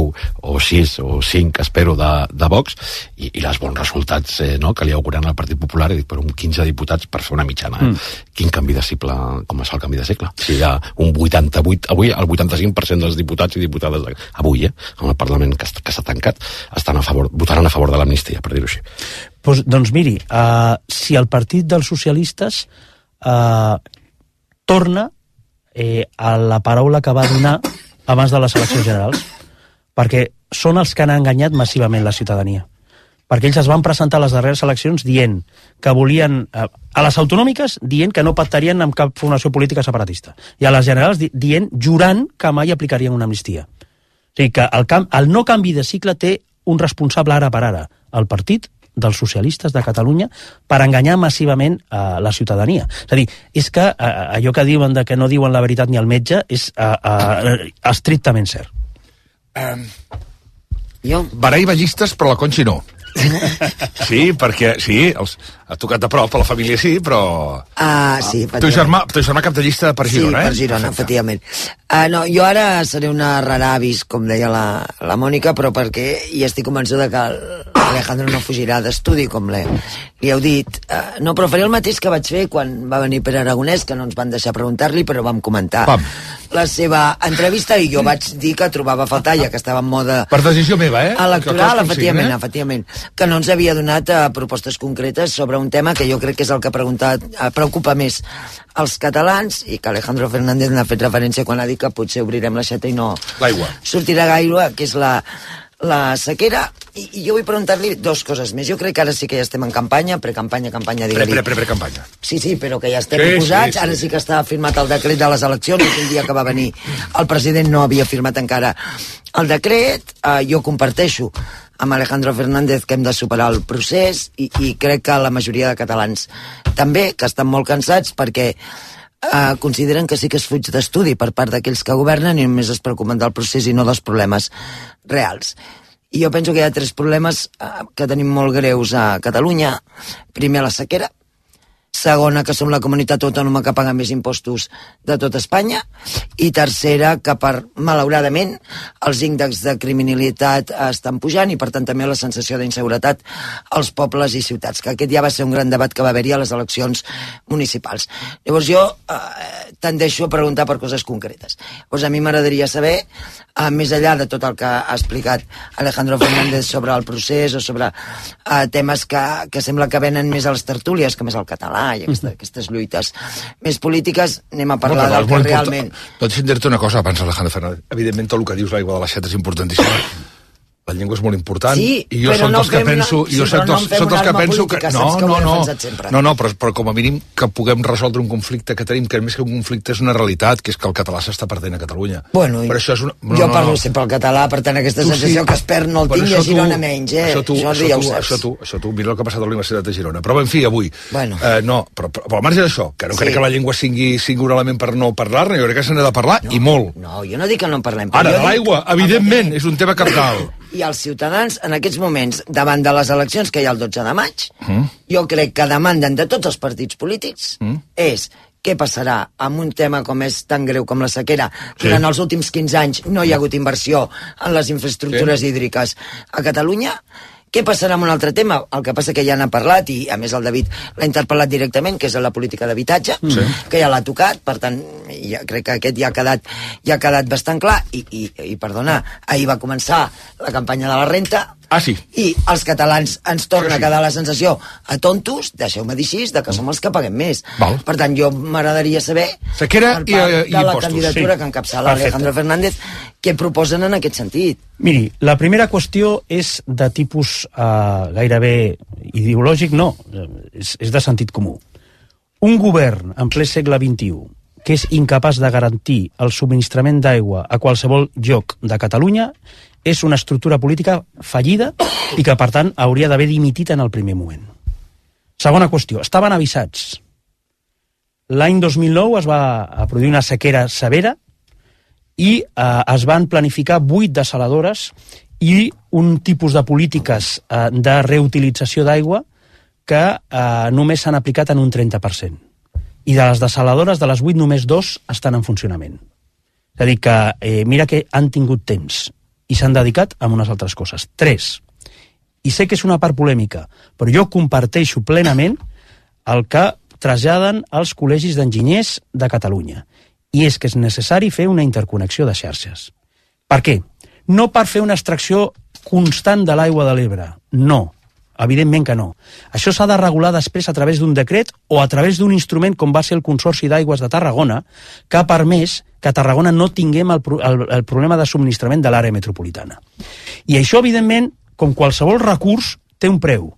D: o 6 o 5, espero, de Vox, i els bons resultats que li auguren al Partit Popular, i dic, però un 15 diputats per fer una mitjana. Quin canvi de cicle, com es fa el canvi de cicle? Si hi ha un 88, avui el 85% dels diputats i diputades avui, en el Parlament que s'ha tancat, votaran a favor de l'amnistia, per dir-ho així.
A: Doncs miri, si el Partit dels Socialistes torna a la paraula que va donar abans de les eleccions generals, perquè són els que han enganyat massivament la ciutadania. Perquè ells es van presentar a les darreres eleccions dient que volien, a les autonòmiques, dient que no pactarien amb cap formació política separatista. I a les generals jurant que mai aplicarien una amnistia. O sigui que el no canvi de cicle té un responsable ara per ara, el Partit dels Socialistes de Catalunya, per enganyar massivament la ciutadania. És a dir, és que allò que diuen de que no diuen la veritat ni el metge és estrictament cert.
B: Baray ballistes, però la Conchi no. Sí, perquè sí, ha tocat de prop a la família, sí, però...
E: sí,
B: teu germà cap de llista per Girona,
F: per Girona, efectivament. No, jo ara seré una rara avis, com deia la Mònica, però perquè hi estic convençuda que Alejandro no fugirà d'estudi, com li heu dit. No, però faré el mateix que vaig fer quan va venir Pere Aragonès, que no ens van deixar preguntar-li, però vam comentar la seva entrevista, i jo vaig dir que trobava a faltar, ja que estava en mode...
B: Per decisió meva,
F: electoral, efectivament, que no ens havia donat propostes concretes sobre un tema que jo crec que és el que preocupa més als catalans, i que Alejandro Fernández n'ha fet referència quan ha dit que potser obrirem l'aixeta i no sortirà gaire, que és la sequera. I jo vull preguntar-li dues coses més. Jo crec que ara sí que ja estem en campanya, precampanya, digue-li.
B: Pre-campanya.
F: Sí, però que ja estem posats. Ara sí que està firmat el decret de les eleccions. El dia que va venir el president no havia firmat encara el decret. Jo comparteixo amb Alejandro Fernández que hem de superar el procés, i crec que la majoria de catalans també, que estan molt cansats perquè consideren que sí que es fuig d'estudi per part d'aquells que governen i només es preocupen del procés i no dels problemes reals. I jo penso que hi ha 3 problemes que tenim molt greus a Catalunya. Primer, la sequera. segona, que som la comunitat autònoma que paga més impostos de tot Espanya, i tercera, que malauradament els índexs de criminalitat estan pujant i per tant també la sensació d'inseguretat als pobles i ciutats, que aquest ja va ser un gran debat que va haver-hi a les eleccions municipals. Llavors jo tendeixo a preguntar per coses concretes. Llavors a mi m'agradaria saber, més enllà de tot el que ha explicat Alejandro Fernández sobre el procés o sobre temes que sembla que venen més a les tertúlies, que més al català i aquestes lluites més polítiques, anem a parlar del que realment...
B: No, deixa'm dir-te una cosa abans, Alejandro Fernández. Evidentment, tot el que dius l'aigua de la Xeta és importantíssima. La llengua és molt important,
F: sí,
B: i jo soc dels que penso... Però com a mínim que puguem resoldre un conflicte que tenim, que més que un conflicte és una realitat, que és que el català s'està perdent a Catalunya.
F: Bueno, però això és una... jo parlo sempre el català, per tant aquesta sensació que es perd no el tinc i a Girona menys,
B: Això tu, mira el que ha passat a la Universitat de Girona. Però en fi, avui... Però al marge d'això, que no crec que la llengua sigui un element per no parlar-ne, jo crec que se n'ha de parlar, i molt.
F: No, jo no dic que no en parlem.
B: Ara, l'aigua, evidentment, és un tema cabdal.
F: I els ciutadans, en aquests moments, davant de les eleccions que hi ha el 12 de maig, jo crec que demanden de tots els partits polítics és què passarà amb un tema com és tan greu com la sequera. Durant els últims 15 anys no hi ha hagut inversió en les infraestructures hídriques a Catalunya. Què passarà amb un altre tema? El que passa que ja n'ha parlat, i a més el David l'ha interpel·lat directament, que és la política d'habitatge, que ja l'ha tocat, per tant, ja crec que aquest ja ha quedat bastant clar, i perdona, ahir va començar la campanya de la renta, i els catalans ens torna a quedar la sensació a tontos, deixeu-me dir així, de que som els que paguem més. Per tant, jo m'agradaria saber
B: sequera
F: per part de la candidatura que encapçala Alejandro Fernández què proposen en aquest sentit.
A: Miri, la primera qüestió és de tipus gairebé ideològic, no, és de sentit comú. Un govern en ple segle XXI que és incapaç de garantir el subministrament d'aigua a qualsevol lloc de Catalunya és una estructura política fallida i que, per tant, hauria d'haver dimitit en el primer moment. Segona qüestió, estaven avisats. L'any 2009 es va produir una sequera severa i es van planificar 8 desaladores i un tipus de polítiques de reutilització d'aigua que només s'han aplicat en un 30%. I de les desaladores, de les 8, només 2 estan en funcionament. És a dir, que mira que han tingut temps i s'han dedicat a unes altres coses. 3. I sé que és una part polèmica, però jo comparteixo plenament el que traslladen els col·legis d'enginyers de Catalunya. I és que és necessari fer una interconnexió de xarxes. Per què? No per fer una extracció constant de l'aigua de l'Ebre. No, evidentment que no. Això s'ha de regular després a través d'un decret o a través d'un instrument com va ser el Consorci d'Aigües de Tarragona, que ha permès que a Tarragona no tinguem el problema de subministrament de l'àrea metropolitana. I això, evidentment, com qualsevol recurs, té un preu.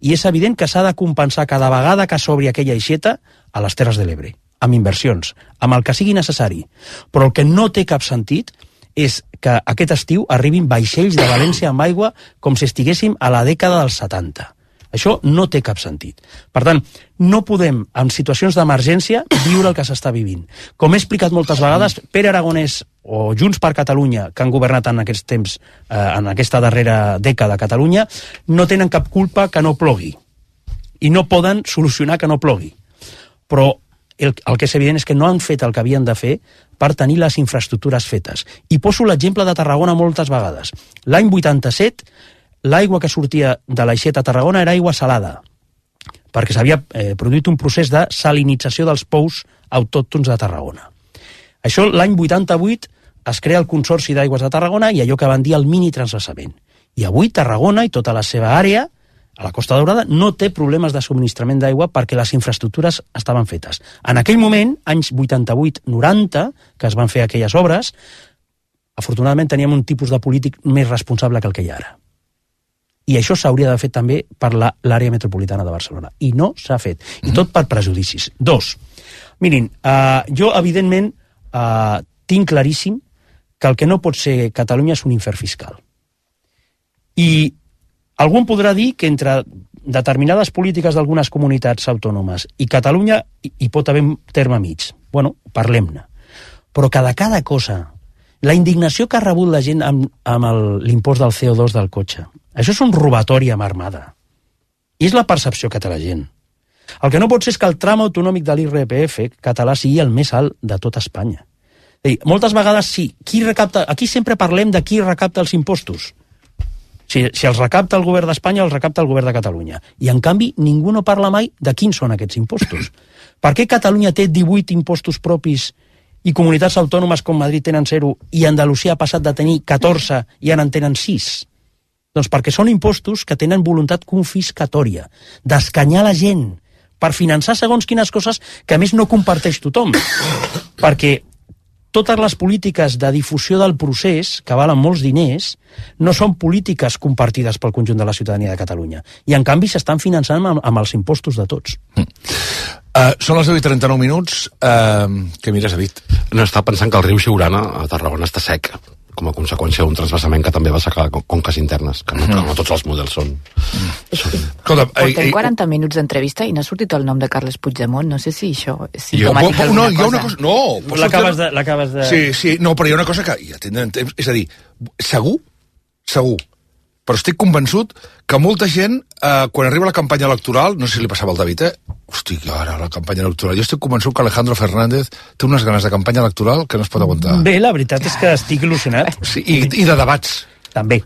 A: I és evident que s'ha de compensar cada vegada que s'obri aquella aixeta a les Terres de l'Ebre, amb inversions, amb el que sigui necessari. Però el que no té cap sentit és que aquest estiu arribin vaixells de València amb aigua com si estiguéssim a la dècada dels 70. Això no té cap sentit. Per tant, no podem, en situacions d'emergència, viure el que s'està vivint. Com he explicat moltes vegades, Pere Aragonès o Junts per Catalunya, que han governat en aquests temps, en aquesta darrera dècada a Catalunya, no tenen cap culpa que no plogui. I no poden solucionar que no plogui. Però el que és evident és que no han fet el que havien de fer per tenir les infraestructures fetes. I poso l'exemple de Tarragona moltes vegades. L'any 87, l'aigua que sortia de l'aixeta a Tarragona era aigua salada, perquè s'havia produït un procés de salinització dels pous autòctons de Tarragona. Això l'any 88 es crea el Consorci d'Aigües de Tarragona i allò que van dir el mini transvasament. I avui Tarragona i tota la seva àrea a la Costa Daurada no té problemes de subministrament d'aigua perquè les infraestructures estaven fetes. En aquell moment, anys 88-90, que es van fer aquelles obres, afortunadament teníem un tipus de polític més responsable que el que hi ha ara. I això s'hauria de fer també per l'àrea metropolitana de Barcelona. I no s'ha fet. I tot per prejudicis. 2. Mirin, jo evidentment tinc claríssim que el que no pot ser Catalunya és un infern fiscal. I algú podrà dir que entre determinades polítiques d'algunes comunitats autònomes i Catalunya hi pot haver un terme mig. Bueno, parlem-ne. Però que de cada cosa, la indignació que ha rebut la gent amb l'impost del CO2 del cotxe, això és un robatori amb armada. I és la percepció que té la gent. El que no pot ser és que el tram autonòmic de l'IRPF català sigui el més alt de tot Espanya. Moltes vegades sí, aquí sempre parlem de qui recapta els impostos. Si els recapta el govern d'Espanya, els recapta el govern de Catalunya. I, en canvi, ningú no parla mai de quins són aquests impostos. Per què Catalunya té 18 impostos propis i comunitats autònomes com Madrid tenen 0 i Andalusia ha passat de tenir 14 i ara en tenen 6? Doncs perquè són impostos que tenen voluntat confiscatòria, d'escanyar la gent, per finançar segons quines coses que a més no comparteix tothom. Perquè totes les polítiques de difusió del procés, que valen molts diners, no són polítiques compartides pel conjunt de la ciutadania de Catalunya. I, en canvi, s'estan finançant amb els impostos de tots.
B: Són les 10:39 minuts. Què mires, David?
D: No, estava pensant que el riu Siurana a Tarragona està sec, com a conseqüència d'un transvasament que també va secar conques internes, que no tots els models són...
C: Portem 40 minuts d'entrevista i no ha sortit el nom de Carles Puigdemont. No sé si això és simptomàtic
B: d'alguna cosa. No,
A: l'acabes de...
B: Sí, no, però hi ha una cosa que ja tindrem temps. És a dir, segur, però estic convençut que molta gent, quan arriba la campanya electoral, no sé si li passava al David, hosti, ara la campanya electoral, jo estic convençut que Alejandro Fernández té unes ganes de campanya electoral que no es pot aguantar.
A: Bé, la veritat és que estic il·lusionat.
B: Sí, i de debats.
A: També.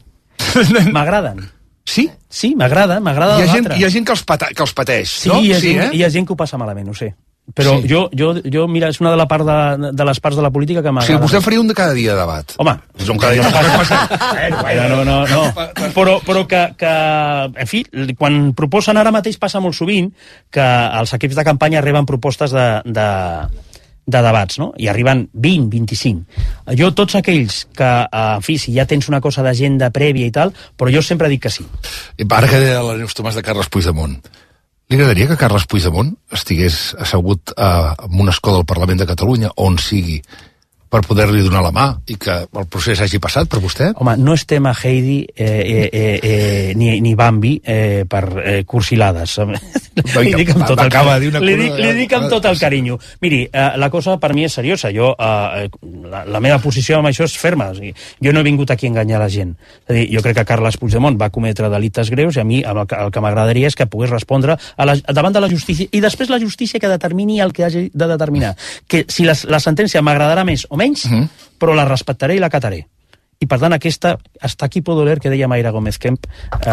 A: M'agraden.
B: Sí?
A: Sí, m'agrada debatre.
B: Hi ha gent que els pateix,
A: sí,
B: no?
A: Hi ha gent que ho passa malament, ho sé. Però sí. jo, mira, és una de les parts de la política que m'agrada.
B: Sí, vostè faria un de cada dia de debat.
A: Home,
B: és un cada dia de debat.
A: No. Però que, en fi, quan proposen ara mateix passa molt sovint que els equips de campanya reben propostes de debats, no? I arriben 20, 25. Jo, tots aquells que, en fi, si ja tens una cosa d'agenda prèvia i tal, però jo sempre dic que sí.
B: Ara que deia la Neus Tomàs de Carles Puigdemont, li agradaria que Carles Puigdemont estigués assegut en un escó del Parlament de Catalunya, on sigui, per poder-li donar la mà i que el procés hagi passat per vostè?
A: Home, no és tema Heidi ni Bambi per cursilades. Li dic amb tot el carinyo. Miri, la cosa per mi és seriosa. La meva posició amb això és ferma. O sigui, jo no he vingut aquí a enganyar la gent. És a dir, jo crec que Carles Puigdemont va cometre delictes greus i a mi el que m'agradaria és que pogués respondre davant de la justícia i després la justícia que determini el que hagi de determinar. Que si la sentència m'agradarà més o menys, però la respectaré i l'acataré. I per tant aquesta, hasta aquí puedo leer, que deia Mayra Gómez Kemp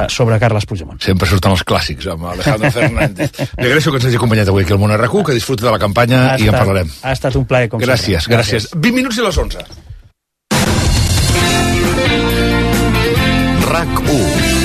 A: sobre Carles Puigdemont.
B: Sempre surten els clàssics amb Alejandro Fernández. Li agraeixo que ens hagi acompanyat avui aquí al Món RQ, que disfruti de la campanya i en parlarem.
A: Ha estat un plaer, com
B: sempre. Gràcies. 20 minuts i les 11. RAC1.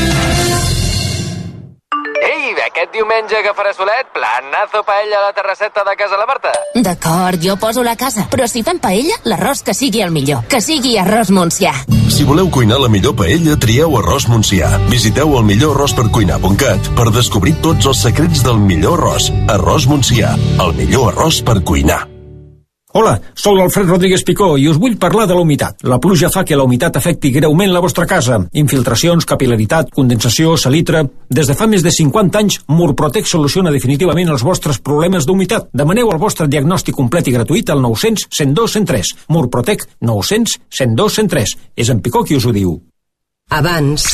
G: Aquest diumenge que farà solet, planazo paella a la terrasseta de casa la Marta.
H: D'acord, jo poso la casa, però si fem paella, l'arròs que sigui el millor, que sigui arròs Montsià.
I: Si voleu cuinar la millor paella, trieu arròs Montsià. Visiteu el millorarròspercuinar.cat per descobrir tots els secrets del millor arròs. Arròs Montsià, el millor arròs per cuinar.
J: Hola, sóc l'Alfred Rodríguez Picó i us vull parlar de la humitat. La pluja fa que la humitat afecti greument la vostra casa. Infiltracions, capil·laritat, condensació, salitre... Des de fa més de 50 anys, Murprotec soluciona definitivament els vostres problemes d'humitat. Demaneu el vostre diagnòstic complet i gratuït al 900 102 103. Murprotec 900 102 103. És en Picó qui us ho diu.
K: Abans.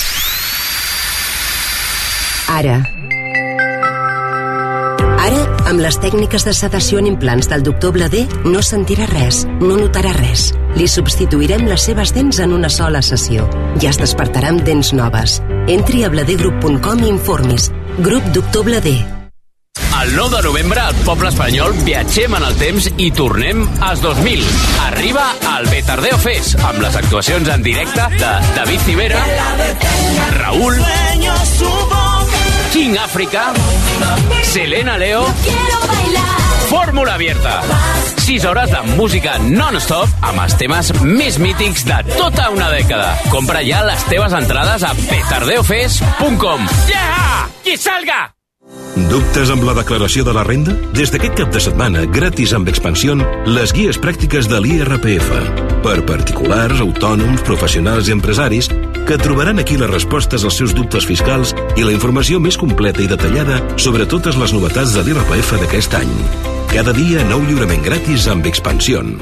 K: Ara. Ara, amb les tècniques de sedació en implants del doctor Bladé, no sentirà res, no notarà res. Li substituirem les seves dents en una sola sessió. Ja es despertarà amb dents noves. Entri a bladegroup.com i informis. Grup Doctor Bladé.
L: El 9 de novembre, al poble espanyol, viatgem en el temps i tornem als 2000. Arriba al Petardeo Fest, amb les actuacions en directe de David Civera, Raúl, King África, Selena Leo, Fórmula Abierta. 6 hores de música non-stop amb els temes més mítics de tota una dècada. Compra ja les teves entrades a petardeofest.com. Yeah! Qui salga!
M: Dubtes amb la declaració de la renda? Des d'aquest cap de setmana, gratis amb Expansión, les guies pràctiques de l'IRPF. Per particulars, autònoms, professionals i empresaris, que trobaran aquí les respostes als seus dubtes fiscals i la informació més completa i detallada sobre totes les novetats de l'IRPF d'aquest any. Cada dia, nou lliurament gratis amb Expansión.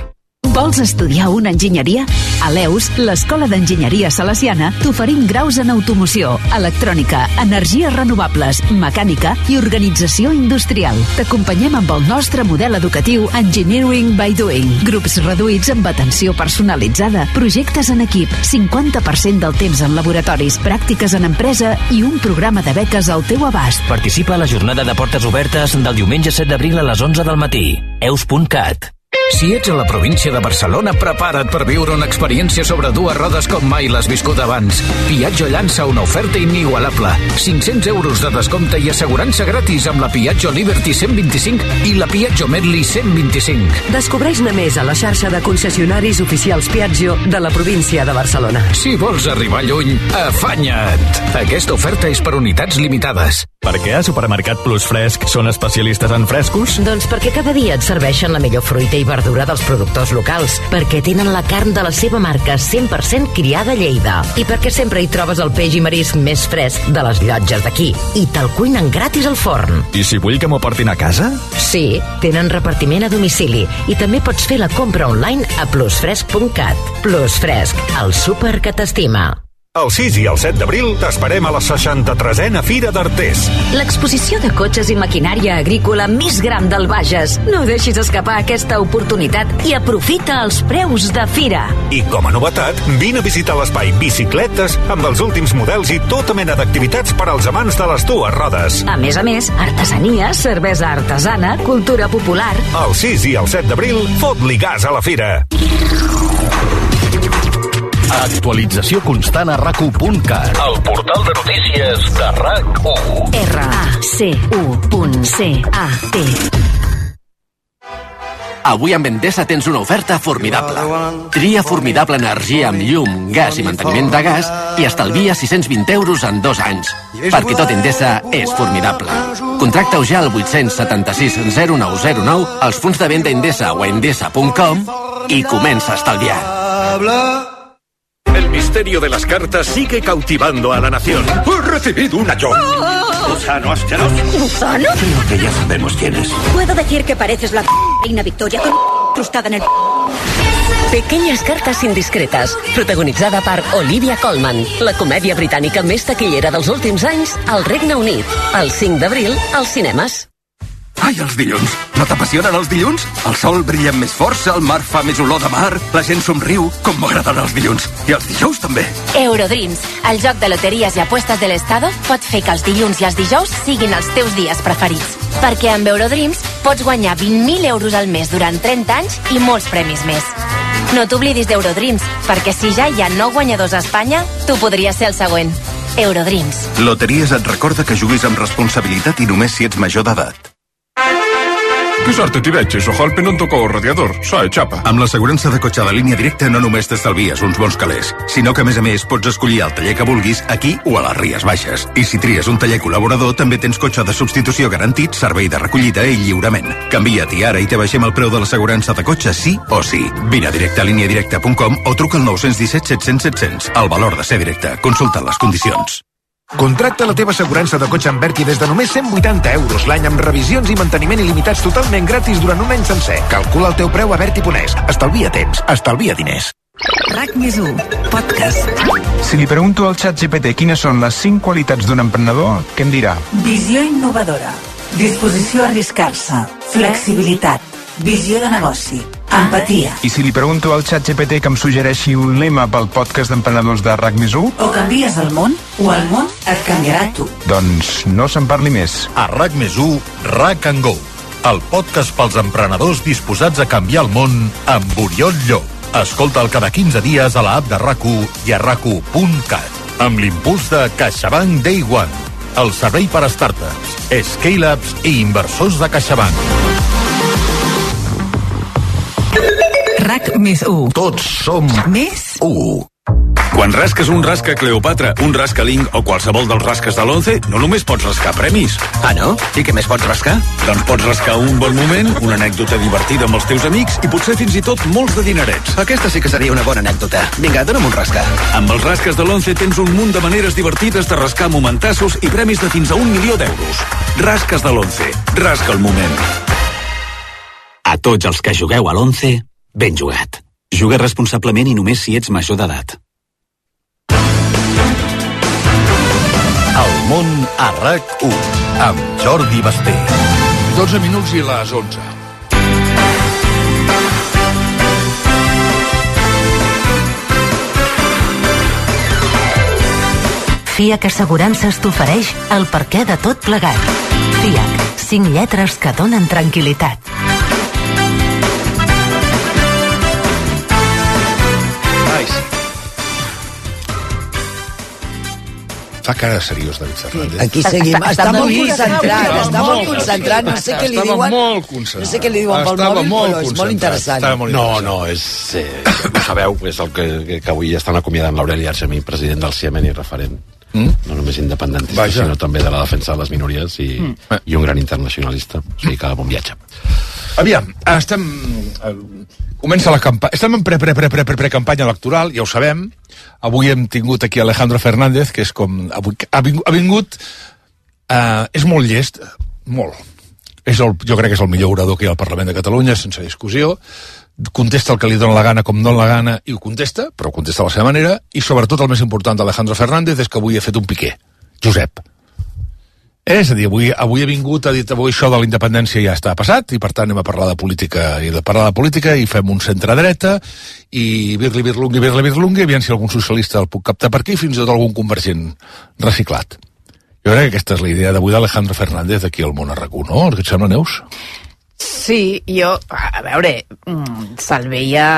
N: Vols estudiar una enginyeria? A l'EUS, l'Escola d'Enginyeria Salesiana, t'oferim graus en automoció, electrònica, energies renovables, mecànica i organització industrial. T'acompanyem amb el nostre model educatiu Engineering by Doing. Grups reduïts amb atenció personalitzada, projectes en equip, 50% del temps en laboratoris, pràctiques en empresa i un programa de beques al teu abast.
O: Participa a la jornada de portes obertes del diumenge 7 d'abril a les 11 del matí. eus.cat. Si ets a la província de Barcelona, prepara't per viure una experiència sobre dues rodes com mai l'has viscut abans. Piaggio llança una oferta inigualable. 500 euros de descompte i assegurança gratis amb la Piaggio Liberty 125 i la Piaggio Medley 125.
K: Descobreix-ne més a la xarxa de concessionaris oficials Piaggio de la província de Barcelona.
O: Si vols arribar lluny, afanya't! Aquesta oferta és per unitats limitades.
P: Per què a Supermercat Plus Fresc són especialistes en frescos?
Q: Doncs perquè cada dia et serveixen la millor fruita i verdura dels productors locals, perquè tenen la carn de la seva marca 100% criada a Lleida i perquè sempre hi trobes el peix i marisc més fresc de les llotges d'aquí i te'l cuinen gratis al forn.
P: I si vull que m'ho portin a casa?
Q: Sí, tenen repartiment a domicili i també pots fer la compra online a plusfresc.cat. Plus Fresc, el súper que t'estima.
R: El 6 i el 7 d'abril t'esperem a la 63a Fira d'Artés.
N: L'exposició de cotxes i maquinària agrícola més gran del Bages. No deixis escapar aquesta oportunitat i aprofita els preus de fira.
R: I com a novetat, vine a visitar l'espai Bicicletes amb els últims models i tota mena d'activitats per als amants de les dues rodes.
N: A més, artesania, cervesa artesana, cultura popular.
R: El 6 i el 7 d'abril, fot-li gas a la fira.
L: Actualització constant a RAC1.cat. El portal de notícies de RAC1.
N: RAC1.cat.
S: Avui amb Endesa tens una oferta formidable. Tria formidable energia amb llum, gas i manteniment de gas i estalvia 620 euros en 2 anys. Perquè tot Endesa és formidable. Contracta-ho ja al 876 0909 als punts de venda Endesa o endesa.com i comença a estalviar.
R: El misterio de las cartas sigue cautivando a la nación. ¡He recibido una yo! ¿Gusano asqueroso?
T: ¿Gusano?
R: Creo que ya sabemos quién es.
T: Puedo decir que pareces la reina Victoria con crustada en el...
Q: Pequeñas cartes indiscretes, protagonitzada per Olivia Colman, la comèdia britànica més taquillera dels últims anys al Regne Unit. El 5 d'abril, als cinemes.
U: Ai, els dilluns. No t'apassionen els dilluns? El sol brilla amb més força, el mar fa més olor de mar, la gent somriu, com m'agraden els dilluns. I els dijous també.
H: Eurodreams, el joc de loteries i apuestes de l'Estado, pot fer que els dilluns i els dijous siguin els teus dies preferits. Perquè amb Eurodreams pots guanyar 20.000 euros al mes durant 30 anys i molts premis més. No t'oblidis d'Eurodreams, perquè si ja hi ha 9 guanyadors a Espanya, tu podries ser el següent. Eurodreams.
U: Loteries et recorda que juguis amb responsabilitat i només si ets major d'edat.
V: Que sort t'hi veig, Sojalpe no em tocó el radiador, s'ha xapa.
U: Amb l'assegurança de cotxe de línia directa no només t'estalvies uns bons calés, sinó que a més pots escollir el taller que vulguis aquí o a les Ries Baixes. I si tries un taller col·laborador també tens cotxe de substitució garantit, servei de recollida i lliurament. Canvia't ara i te baixem el preu de l'assegurança de cotxe sí o sí. Vine a directe a lineadirecta.com o truca al 917 700 700. El valor de ser directe. Consulta les condicions.
W: Contracta la teva assegurança de cotxe amb Berti des de només 180 euros l'any amb revisions i manteniment il·limitats totalment gratis durant un any sencer. Calcula el teu preu a Berti.es. Estalvia temps, estalvia diners.
X: RAC+1, podcast.
Y: Si li pregunto al ChatGPT quines són les 5 qualitats d'un emprenedor, què em dirà?
X: Visió innovadora, disposició a arriscar-se, flexibilitat, visió de negoci, empatia.
Y: I si li pregunto al ChatGPT que em suggereixi un lema pel podcast d'emprenedors de RAC+1?
X: O canvies el món, o el món et canviarà a tu.
Y: Doncs no se'n parli més.
R: A RAC+1, RAC & Go, el podcast pels emprenedors disposats a canviar el món amb Oriol Llop. Escolta'l cada 15 dies a la app de RAC1 i a RAC1.cat. Amb l'impuls de CaixaBank Day One, el servei per a startups, scale-ups i inversors de CaixaBank.
X: RAC+1.
R: Tots som
X: més
R: 1.
M: Quan rasques un rasca Cleopatra, un rasca Link o qualsevol dels rasques de l'11, no només pots rascar premis.
O: Ah, no? I què més pots rascar?
M: Doncs pots rascar un bon moment, una anècdota divertida amb els teus amics i potser fins i tot molts de dinerets.
O: Aquesta sí que seria una bona anècdota. Vinga, dona'm un rasca.
M: Amb els rasques de l'11 tens un munt de maneres divertides de rascar momentassos i premis de fins a 1 milió d'euros. Rasques de l'11. Rasca el moment.
O: A tots els que jugueu a l'11, ben jugat.
A: Juga responsablement i només si ets major d'edat.
R: El món a RAC1 amb Jordi Basté.
B: 12 minuts i les 11.
C: FIAC Assegurances t'ofereix el perquè de tot plegat. FIAC, 5 lletres que donen tranquil·litat.
B: Fa cara de seriós, David Fernández.
D: Aquí seguim. Està molt concentrat, no sé què li diuen.
B: Estava molt concentrat.
D: No sé què li diuen pel mòbil, però és molt interessant.
E: No, és... ho sabeu, és el que avui estan acomiadant l'Aureli Argemí, president del CIEMEN i referent. No només independentista, sinó també de la defensa de les minories i un gran internacionalista. O sigui que bon viatge.
B: Aviam, comença la campanya. Estem en pre-campanya electoral, ja ho sabem. Avui hem tingut aquí Alejandro Fernández, que és com... Ha vingut... És molt llest, molt. Jo crec que és el millor orador que hi ha al Parlament de Catalunya, sense discussió. Contesta el que li dona la gana com dona la gana i ho contesta, però ho contesta a la seva manera. I sobretot el més important d'Alejandro Fernández és que avui ha fet un piqué. Josep. És a dir, avui ha vingut, ha dit avui això de la independència ja està passat i per tant anem a parlar de política i fem un centre-dreta i birli-birlungui, aviam si algun socialista el puc captar per aquí, fins i tot algun convergent reciclat. Jo crec que aquesta és la idea d'avui d'Alejandro Fernández aquí al món a RAC1, no? Què et sembla, Neus?
F: Sí, jo, a veure, se'l veia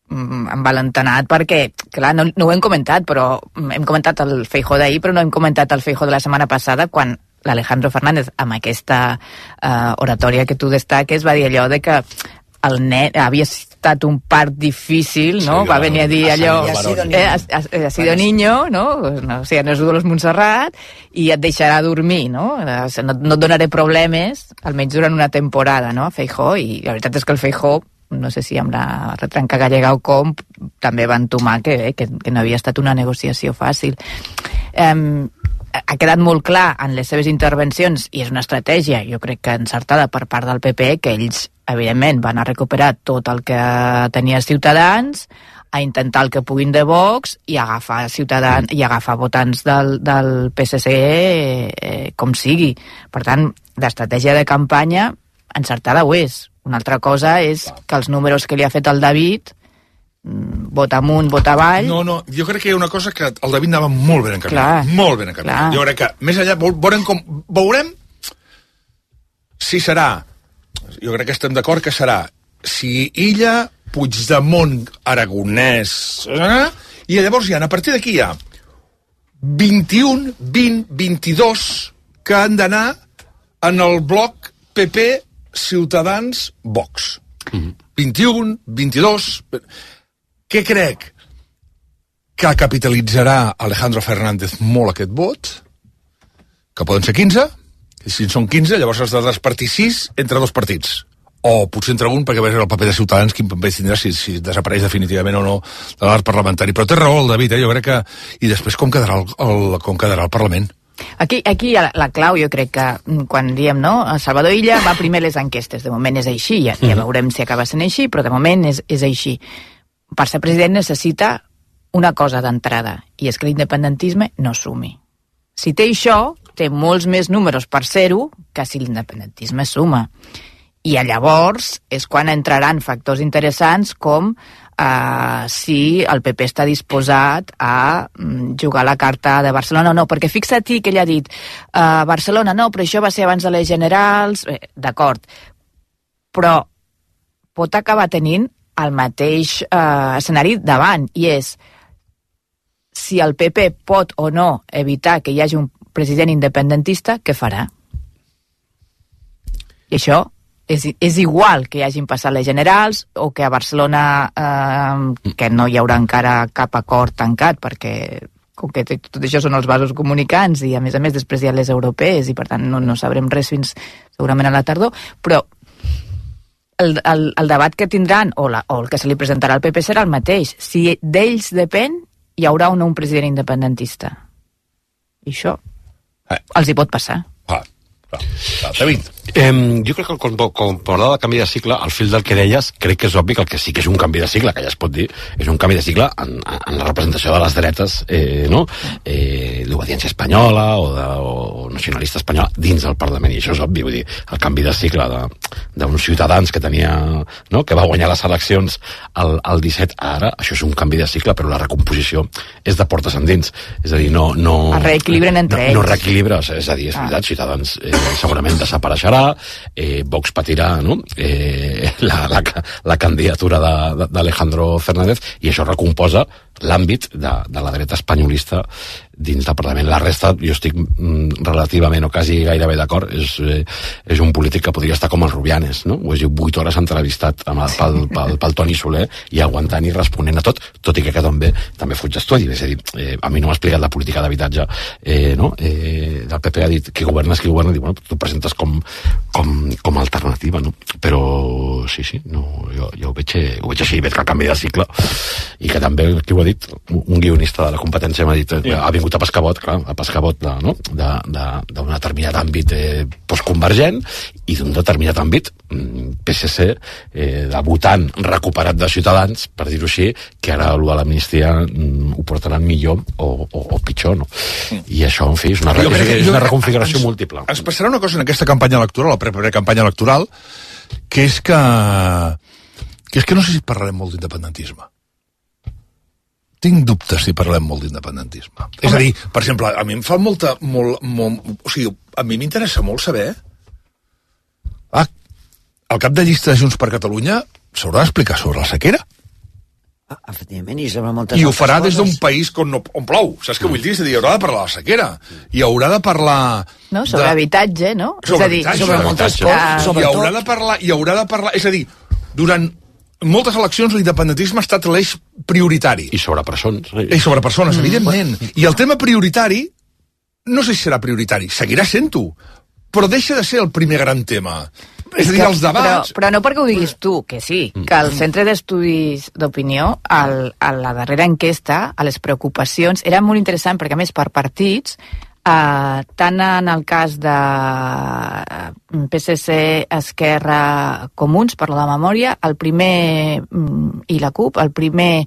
F: envalentonat perquè, clar, no ho hem comentat, però hem comentat el Feijóo d'ahir, però no hem comentat el Feijóo de la setmana passada, quan l'Alejandro Fernández, amb aquesta oratòria que tu destaques, va dir allò de que el nen havia estat un part difícil, no? Va venir a dir allò, ha sido niño, no? O sigui, no és Dolors Montserrat, i et deixarà dormir, no? No et donaré problemes, almenys durant una temporada, no? Feijóo, i la veritat és que el Feijóo, no sé si amb la retranca gallega o com, també va entomar que no havia estat una negociació fàcil. Ha quedat molt clar en les seves intervencions, i és una estratègia, jo crec que encertada per part del PP, que ells, evidentment, van a recuperar tot el que tenia Ciutadans, a intentar el que puguin de Vox i agafar Ciutadans i agafar votants del PSC com sigui. Per tant, l'estratègia de campanya encertada ho és. Una altra cosa és que els números que li ha fet el David, vota amunt, vota avall...
B: No, jo crec que hi ha una cosa que el David anava molt ben encaminat. Molt ben encaminat. Jo crec que, més allà, veurem si serà, jo crec que estem d'acord que serà, si Illa, Puigdemont, Aragonès... I llavors a partir d'aquí hi ha 21, 20, 22 que han d'anar en el bloc PP, Ciutadans, Vox. 21, 22... Què crec? Que capitalitzarà Alejandro Fernández molt aquest vot, que poden ser 15, i si en són 15, llavors has de despartir 6 entre dos partits. O potser entre un, perquè veure el paper de Ciutadans, quin paper tindrà si desapareix definitivament o no de l'art parlamentari. Però té raó el David, jo crec que... I després com quedarà el Parlament?
F: Aquí la clau, jo crec que quan diem, no, Salvador Illa va primer les enquestes, de moment és així, ja veurem si acaba sent així, però de moment és així. Per ser president necessita una cosa d'entrada, i és que l'independentisme no sumi. Si té això, té molts més números per ser-ho que si l'independentisme suma. I llavors és quan entraran factors interessants com si el PP està disposat a jugar la carta de Barcelona o no, perquè fixa't que ell ha dit Barcelona no, però això va ser abans de les generals, d'acord, però pot acabar tenint el mateix escenari davant, i és si el PP pot o no evitar que hi hagi un president independentista, què farà? I això és igual que hi hagin passat les generals o que a Barcelona que no hi haurà encara cap acord tancat, perquè com que tot això són els vasos comunicants i a més després hi ha les europees i per tant no sabrem res fins segurament a la tardor, però el debat que tindran o el que se li presentarà al PP serà el mateix. Si d'ells depèn, hi haurà o no un president independentista. I això els hi pot passar.
B: David.
E: Jo crec que quan parlava de canvi de cicle, al fil del que deies, crec que és obvi que el que sí que és un canvi de cicle, que ja es pot dir, és un canvi de cicle en la representació de les dretes, no? L'obediència espanyola o nacionalista espanyola dins del Parlament, i això és obvi, vull dir, el canvi de cicle d'uns ciutadans que tenia, no?, que va guanyar les eleccions al 17, ara, això és un canvi de cicle, però la recomposició és de portes endins, és a dir, no
F: es reequilibren entre ells.
E: No reequilibra, és a dir, és veritat, Ciutadans segurament desapareixerà, Vox patirà, no?, la candidatura d'Alejandro Fernández, i això recomposa l'àmbit de la dreta espanyolista dins del Parlament. La resta, jo estic relativament o quasi gairebé d'acord, és un polític que podria estar com el Rubianes, no? Ho he dit 8 hores entrevistat pel Toni Soler i aguantant i responent a tot i que també fuig d'estudi. És a dir, a mi no m'ha explicat la política d'habitatge, no? Del PP ha dit qui governa, diu, bueno, tu presentes com a alternativa, no? Però sí, no, jo ho veig així, veig que el canvi de cicle, i que també, qui ho ha dit? Un guionista de la competència m'ha dit, ha vingut a pescar bot, clar, a pescar bot d'un determinat àmbit postconvergent i d'un determinat àmbit PSC, de votant recuperat de Ciutadans, per dir-ho així, que ara a l'amnistia ho portaran millor o pitjor, no? I això, en fi, és una reconfiguració múltiple.
B: Ens passarà una cosa en aquesta campanya electoral, la primera campanya electoral, que és que no sé si parlarem molt d'independentisme. Tinc dubtes si parlem molt d'independentisme. És a dir, per exemple, a mi em fa o sigui, a mi m'interessa molt saber el cap de llista de Junts per Catalunya s'haurà d'explicar sobre la sequera.
D: Efectivament, i sobre moltes
B: I ho farà des d'un país on plou, saps què vull dir? És a dir, haurà de parlar de la sequera, i haurà de parlar...
F: No, sobre habitatge, no?
B: Sobre moltes coses. I haurà de parlar... És a dir, durant moltes eleccions l'independentisme ha estat l'eix prioritari.
E: I sobre persones.
B: I sobre persones, evidentment. I el tema prioritari, no sé si serà prioritari, seguirà sent-ho, però deixa de ser el primer gran tema. És a dir, els debats...
F: Però no perquè ho diguis tu, que sí, que el Centre d'Estudis d'Opinió, a la darrera enquesta, a les preocupacions, era molt interessant, perquè a més per partits, tant en el cas de PSC, Esquerra, Comuns, per la memòria, el primer, i la CUP, el primer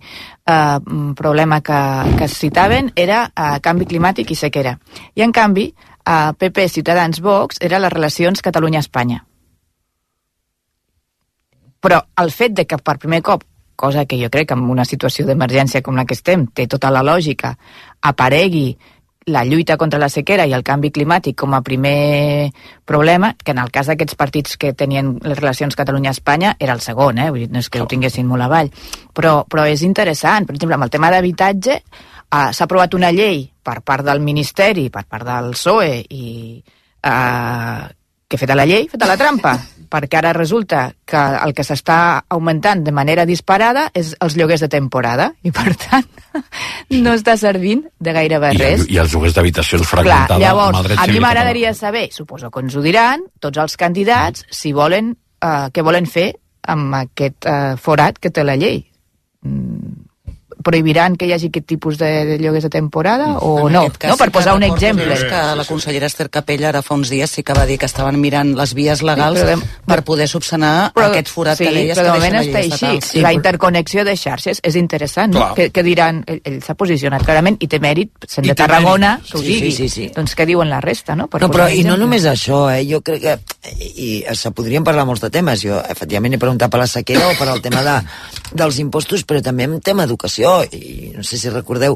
F: problema que es citaven era canvi climàtic i sequera. I en canvi, PP, Ciutadans, Vox, eren les relacions Catalunya-Espanya. Però el fet de que per primer cop, cosa que jo crec que en una situació d'emergència com la que estem té tota la lògica, aparegui la lluita contra la sequera i el canvi climàtic com a primer problema, que en el cas d'aquests partits que tenien les relacions Catalunya-Espanya era el segon, vull dir, no és que ho tinguessin molt avall. Però és interessant, per exemple, amb el tema d'habitatge s'ha aprovat una llei per part del Ministeri, per part del PSOE, i que feta la llei, feta la trampa, perquè ara resulta que el que s'està augmentant de manera disparada és els lloguers de temporada, i per tant no està servint de gairebé res.
E: I els lloguers d'habitacions fragmentada.
F: Llavors, a mi m'agradaria saber, suposo que ens ho diran, tots els candidats, si volen, què volen fer amb aquest forat que té la llei. Prohibiran que hi hagi aquest tipus de lloguers de temporada o no? No, per posar un exemple.
D: Que la consellera Esther Capella ara fa uns dies sí que va dir que estaven mirant les vies legals per poder subsanar aquest forat que deies que deixa la llei estatal. Sí, però de moment està així. La interconnexió de xarxes és interessant, no? Que diran, ell s'ha posicionat clarament i té mèrit, sent de Tarragona, que ho digui. Doncs què diuen la resta, no? Però i no només això, jo crec que i se podrien parlar molts de temes. Jo, efectivament, he preguntat per la sequera o per el tema dels impostos, però també en tema educació, i no sé si recordeu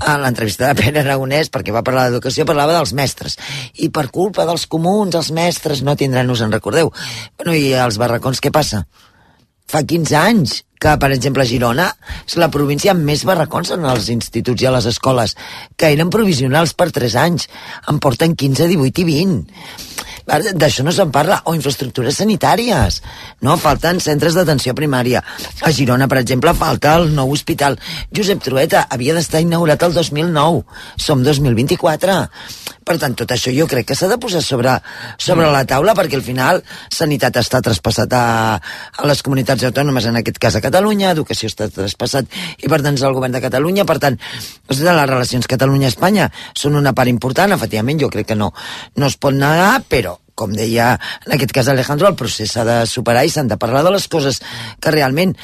D: a l'entrevista de Pere Aragonès, perquè va parlar d'educació, parlava dels mestres, i per culpa dels comuns els mestres no tindran, us en recordeu? Bueno, i els barracons què passa? Fa 15 anys que, per exemple, Girona és la província amb més barracons en els instituts i a les escoles, que eren provisionals per 3 anys, en porten 15, 18 i 20. D'això no se'n parla. O infraestructures sanitàries, no? Falten centres d'atenció primària. A Girona, per exemple, falta el nou hospital Josep Trueta, havia d'estar inaugurat el 2009, som 2024. Per tant, tot això jo crec que s'ha de posar sobre la taula, perquè al final sanitat està traspassat a les comunitats autònomes, en aquest cas a Catalunya, educació està traspassat i per tant és el govern de Catalunya. Per tant, les relacions Catalunya-Espanya són una part important, efectivament jo crec que no es pot negar, però
G: com deia en aquest cas Alejandro, el procés s'ha de superar i s'han de parlar de les coses que realment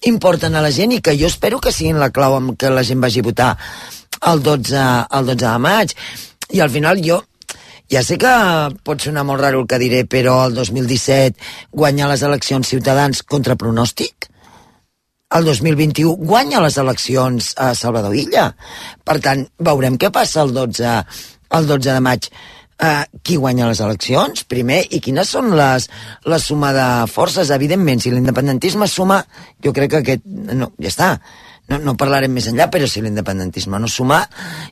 G: importen a la gent i que jo espero que siguin la clau amb que la gent vagi a votar el 12 de maig. I al final jo ja sé que pot sonar molt raro el que diré, però el 2017 guanya les eleccions Ciutadans contra pronòstic. El 2021 guanya les eleccions a Salvador Illa. Per tant, veurem què passa el 12 de maig. Qui guanya les eleccions, primer, i quines són la suma de forces. Evidentment, si l'independentisme suma, jo crec que aquest... No, ja està. No parlarem més enllà, però si l'independentisme no suma,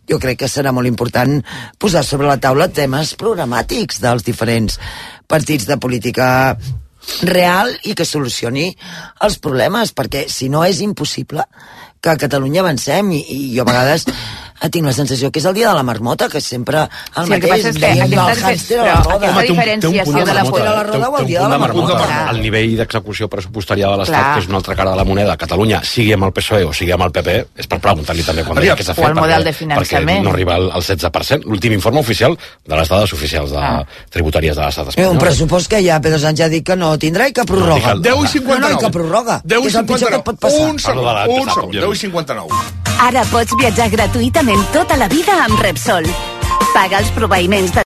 G: jo crec que serà molt important posar sobre la taula temes programàtics dels diferents partits de política real i que solucioni els problemes, perquè si no és impossible que a Catalunya avancem i jo a vegades tinc la sensació que és el dia de la marmota, que sempre el mateix, diem del hàmster a la roda.
F: Aquesta diferenciació de la polla
G: a la roda o el dia de la marmota.
E: El nivell d'execució pressupostària de l'Estat, que és una altra cara de la moneda, Catalunya, sigui amb el PSOE o sigui amb el PP, és per preguntar-li també quan deia què s'ha fet,
F: o el model de finançament,
E: perquè no arriba al 16%. L'últim informe oficial de les dades oficials tributàries de l'Estat espanyol.
G: Un pressupost que ja Pedro Sánchez ha dit que no tindrà i que prorroga.
B: 10,59.
G: No, i que prorroga.
B: 10,59. Un segon. 10,59.
C: Ara pots viatjar gratuïtament tota la vida amb Repsol. Paga els proveïments de